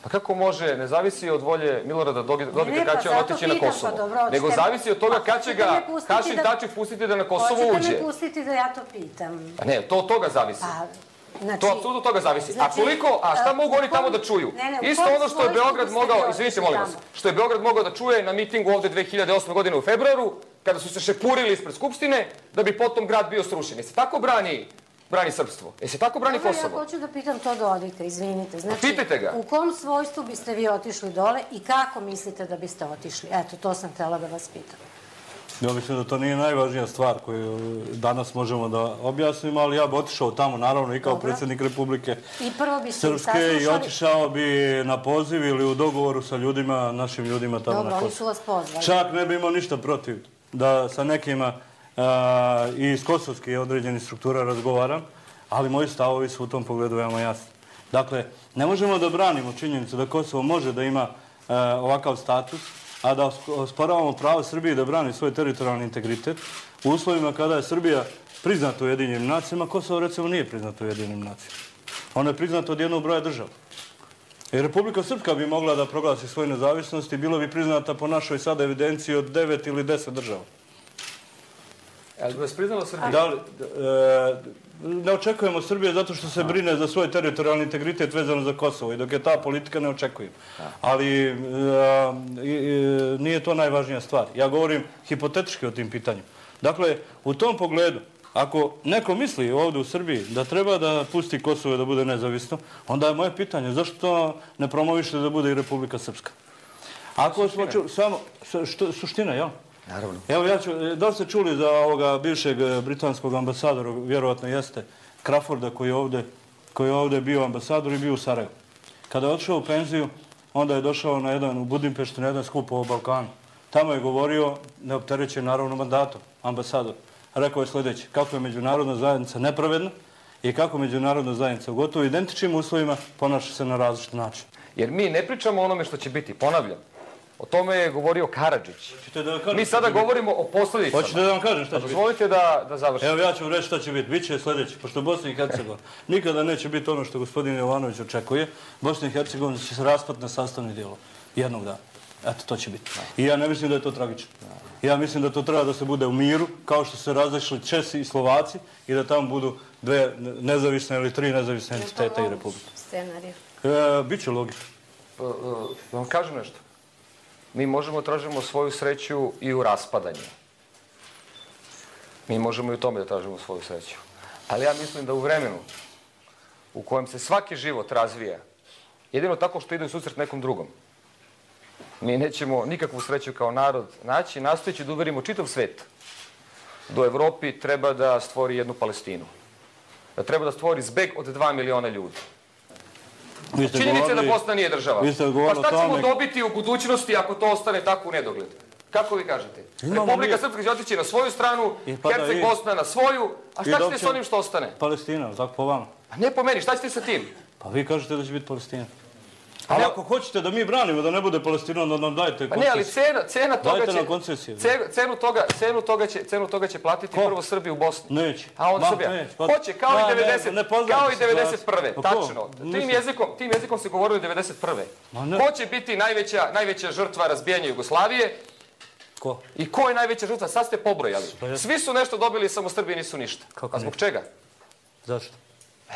Pa kako može, ne zavisi od volje Milorada Dodika kad će on otići na Kosovo, nego zavisi od toga kad će ga Hašim Tači pustiti da na Kosovo uđe. Hoćete me pustiti da ja to pitam? Ne, to od toga zavisi. To apsolutno od toga zavisi. A koliko, a šta mogu oni tamo da čuju? Isto ono što je Beograd mogao, izvinite molim vas, što je Beograd mogao da čuje na mitingu ovde dve hiljade osme godine u februaru, kada su se šepurili ispred Skupštine, da bi potom grad bio srušen. Jesi tako brani brani srpstvo? E se tako brani Kosovo? Ja hoću da pitam to do odite, izvinite. Pitajte ga. U kom svojstvu biste vi otišli dole i kako mislite da biste otišli? Eto, to sam htjela da vas pitam. Ja mislim da to nije najvažnija stvar koju danas možemo da objasnimo, ali ja bi otišao tamo, naravno, i kao predsjednik Republike Srpske i otišao bi na poziv ili u dogovoru sa ljudima, našim ljudima tamo na Kosovo. Dobro, oni su vas pozvali. Čak ne bi imao ništa protiv da sa nekima i iz kosovskih određenih struktura razgovaram, ali moji stavovi su u tom pogledu veoma jasni. Dakle, ne možemo da branimo činjenicu da Kosovo može da ima ovakav status, a da osporavamo pravo Srbije da brani svoj teritorijalni integritet u uslovima kada je Srbija priznata u Ujedinjenim nacijama, Kosovo recimo nije priznata u Ujedinjenim nacijama. Ona je priznata od jednog broja država. I Republika Srpska bi mogla da proglasi svoju nezavisnost i bilo bi priznata po našoj sada evidenciji od devet ili deset država. Ali bi vas priznala Srbija? Ne očekujemo Srbije zato što se brine za svoj teritorijalni integritet vezano za Kosovo i dok je ta politika ne očekujemo. Ali nije to najvažnija stvar. Ja govorim hipotetički o tim pitanjima. Dakle, u tom pogledu ako neko misli ovdje u Srbiji da treba da pusti Kosovo da bude nezavisno, onda je moje pitanje zašto to ne promovište da bude i Republika Srpska? Ako smo čuli, samo, suština, jel? Naravno. Evo, ja ću, da li ste čuli za ovoga bivšeg britanskog ambasadora, vjerovatno jeste, Crawforda, koji je ovdje, koji je ovdje bio ambasador i bio u Sarajevu. Kada je odšao u penziju, onda je došao na jedan, u Budimpeštu na jedan skup o Balkanu. Tamo je govorio, neopterećen naravno mandatom, ambasador. Rekao je sljedeće, kako je međunarodna zajednica nepravedna i kako međunarodna zajednica u gotovo identičnim uslovima ponaša se na različit način. Jer mi ne pričamo o onome što će biti, ponavljam. O tome je govorio Karadžić. Mi sada govorimo o posljedicama. Hoćete da vam kažem šta će biti? Dozvolite da, da završim. Evo ja ću vam reći šta će biti. Biće sljedeće, pošto Bosna i Hercegovina nikada neće biti ono što gospodin Jovanović očekuje. Bosna i Hercegovina će se raspati na sastavni dijelo jednog dana. Eto, to će biti. I ja ne mislim da je to tragično. Ja mislim da to treba da se bude u miru, kao što se razišli Česi i Slovaci i da tamo budu dve nezavisne ili tri nezavisne entiteta i republike. Scenariju. E, Biće logično. Da vam kažem nešto. Mi možemo tražimo svoju sreću i u raspadanju. Mi možemo i u tome da tražimo svoju sreću. Ali ja mislim da u vremenu u kojem se svaki život razvija, jedino tako što ide u susret nekom drugom, mi nećemo nikakvu sreću kao narod naći, nastojeći da uverimo čitav svet da u Evropi treba da stvori jednu Palestinu. Da treba da stvori zbeg od dva miliona ljudi. Činjenica da Bosna nije država. Pa šta ćemo dobiti u budućnosti ako to ostane tako u nedogled? Kako vi kažete? Republika Srpska će otići na svoju stranu, Herceg Bosna na svoju, a šta ćete s onim što ostane? Palestina, tako po vama. A ne po meni, šta ćete sa tim? Pa vi kažete da će biti Palestina. Ali ako hoćete da mi branimo da ne bude Palestina, onda nam dajte koncesiju. Pa ne, ali cena toga će... Dajte nam koncesiju. Cenu toga će platiti prvo Srbi u Bosni. Neće. A onda Srbija. Hoće, kao i devedeset prve. Tačno. Tim jezikom se govorilo i devedeset prve. Ko će biti najveća žrtva razbijanja Jugoslavije? Ko? I ko je najveća žrtva? Sad ste pobrojali. Svi su nešto dobili, samo Srbi nisu ništa. A zbog čega? Zašto?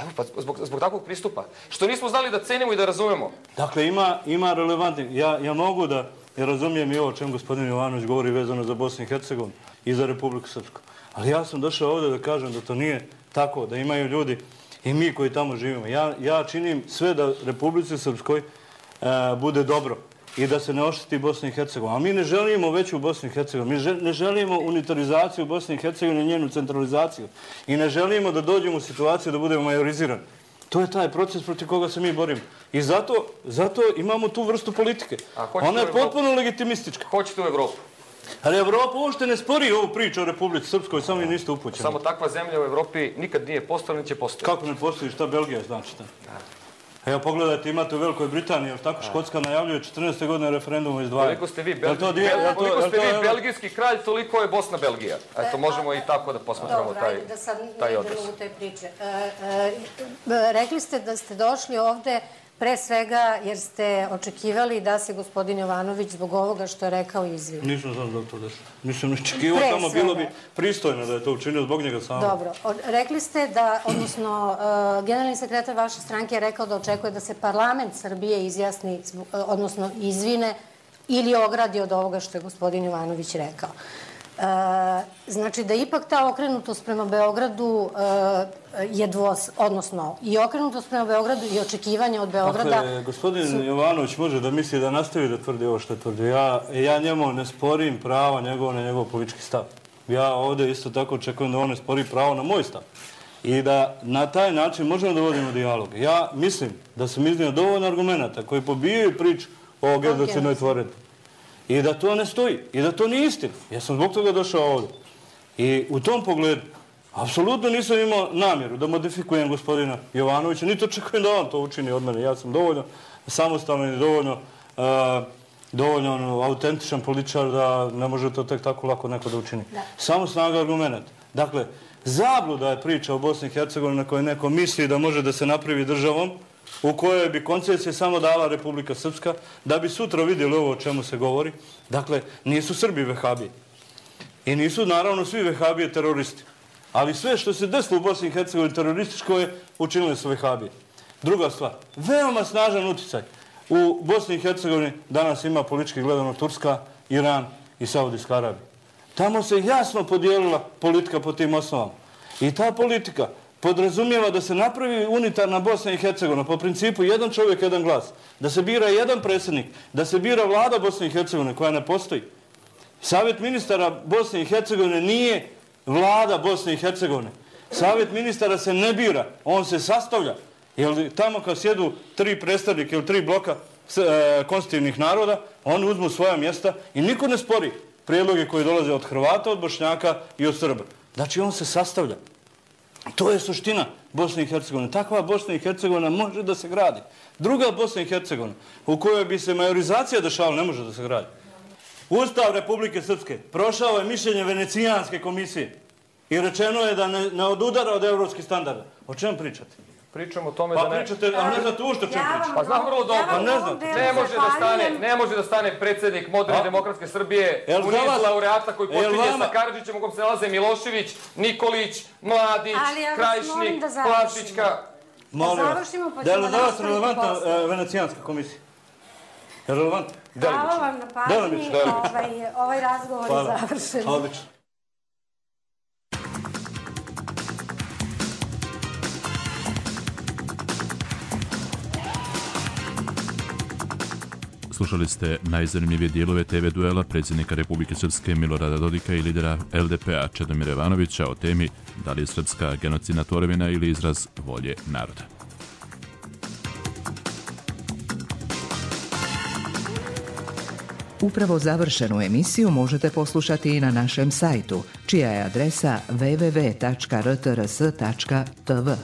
Evo, pa zbog takvog pristupa. Što nismo znali da cenimo i da razumemo. Dakle, ima relevantni... Ja mogu da razumijem i ovo o čem gospodin Jovanović govori vezano za Bosnu i Hercegovinu i za Republiku Srpsku. Ali ja sam došao ovdje da kažem da to nije tako, da imaju ljudi i mi koji tamo živimo. Ja činim sve da Republici Srpskoj bude dobro i da se ne ošteti Bosna i Hercegovina. A mi ne želimo veću Bosnu i Hercegovinu. Mi ne želimo unitarizaciju Bosne i Hercegovine i njenu centralizaciju. I ne želimo da dođemo u situaciju da budemo majorizirani. To je taj proces protiv koga se mi borimo. I zato imamo tu vrstu politike. Ona je potpuno legitimistička. Hoćete u Evropu? Ali Evropa uopšte ne spori ovu priču o Republici Srpskoj, samo i niste upućeni. Samo takva zemlja u Evropi nikad nije postala, ni će postojati. Kako ne postoji? Šta Belgija znači? Evo pogledajte, imate u Velikoj Britaniji, jer tako Škotska najavljuje četrnaeste godine referendum o izdvajanju. Koliko ste vi belgijski kralj, toliko je Bosna Belgija. Eto, možemo i tako da posmatramo taj odnos. Rekli ste da ste došli ovde pre svega jer ste očekivali da se gospodin Jovanović zbog ovoga što je rekao izvini. Nisam znam zbog to došao. Nisam očekivao, tamo bilo bi pristojno da je to učinio zbog njega samo. Dobro. Rekli ste da, odnosno, generalni sekretar vaše stranke je rekao da očekuje da se parlament Srbije izjasni, odnosno izvine ili ogradi od ovoga što je gospodin Jovanović rekao. Znači da ipak ta okrenutost prema Beogradu je dvos, odnosno i okrenutost prema Beogradu i očekivanje od Beograda... Dakle, gospodin Jovanović može da misli da nastavi da tvrdi ovo što je tvrdio. Ja njemu ne sporim pravo njegovo na njegov politički stav. Ja ovdje isto tako očekujem da on ne spori pravo na moj stav. I da na taj način možemo da vodimo dijalog. Ja mislim da sam iznio dovoljno argumenta koji pobijaju priču o genocidnoj tvoreni. I da to ne stoji. I da to nije istina. Ja sam zbog toga došao ovdje. I u tom pogledu, apsolutno nisam imao namjeru da modifikujem gospodina Jovanovića, niti očekujem da on to učini od mene. Ja sam dovoljno samostalan i dovoljno autentičan političar da ne može to tek tako lako neko da učini. Samo snaga argumenta. Dakle, zabluda je priča o Bosni i Hercegovini na kojoj neko misli da može da se napravi državom u kojoj bi koncesije samo dala Republika Srpska, da bi sutra vidjeli ovo o čemu se govori. Dakle, nisu Srbi vehabije. I nisu, naravno, svi vehabije teroristi. Ali sve što se desilo u Bosni i Hercegovini terorističko je učinili su vehabije. Druga stvar, veoma snažan uticaj. U Bosni i Hercegovini danas ima politički gledano Turska, Iran i Saudijska Arabija. Tamo se jasno podijelila politika po tim osnovama. I ta politika podrazumijeva da se napravi unitarna Bosna i Hercegovina po principu jedan čovjek, jedan glas. Da se bira jedan predsjednik, da se bira vlada Bosne i Hercegovine koja ne postoji. Savjet ministara Bosne i Hercegovine nije vlada Bosne i Hercegovine. Savjet ministara se ne bira, on se sastavlja. Jer tamo kad sjedu tri predstavnike ili tri bloka e, konstitutivnih naroda, oni uzmu svoja mjesta i niko ne spori prijedloge koji dolaze od Hrvata, od Bošnjaka i od Srba. Znači on se sastavlja. To je suština Bosne i Hercegovine. Takva Bosna i Hercegovina može da se gradi. Druga Bosna i Hercegovina u kojoj bi se majorizacija dešavala ne može da se gradi. Ustav Republike Srpske prošao je mišljenje Venecijanske komisije i rečeno je da ne, ne odudara od evropskih standarda. O čemu pričate? Pričamo o tome pa da ne... pričate, a ne znate ušto čemu pričate. Pa znam vrlo dobro. Pa ne znate. Ne može da stane, ne može da stane predsjednik moderne demokratske Srbije u niz laureata koji počinje sa Karadžićem u kom se nalaze Milošević, Nikolić, Mladić, Krajišnik, Plašićka. Molim vas, da je li za vas relevantna Venecijanska komisija? Je relevantna? Hvala vam na pažnji, ovaj razgovor je završen. Odlično. Slušali ste najzanimljivije dijelove te ve duela predsjednika Republike Srpske Milorada Dodika i lidera el de pe a Čedomira Jovanovića o temi da li je srpska genocidna tvorevina ili izraz volje naroda. Upravo završenu emisiju možete poslušati i na našem sajtu, čija je adresa w w w tačka r t r s tačka t v.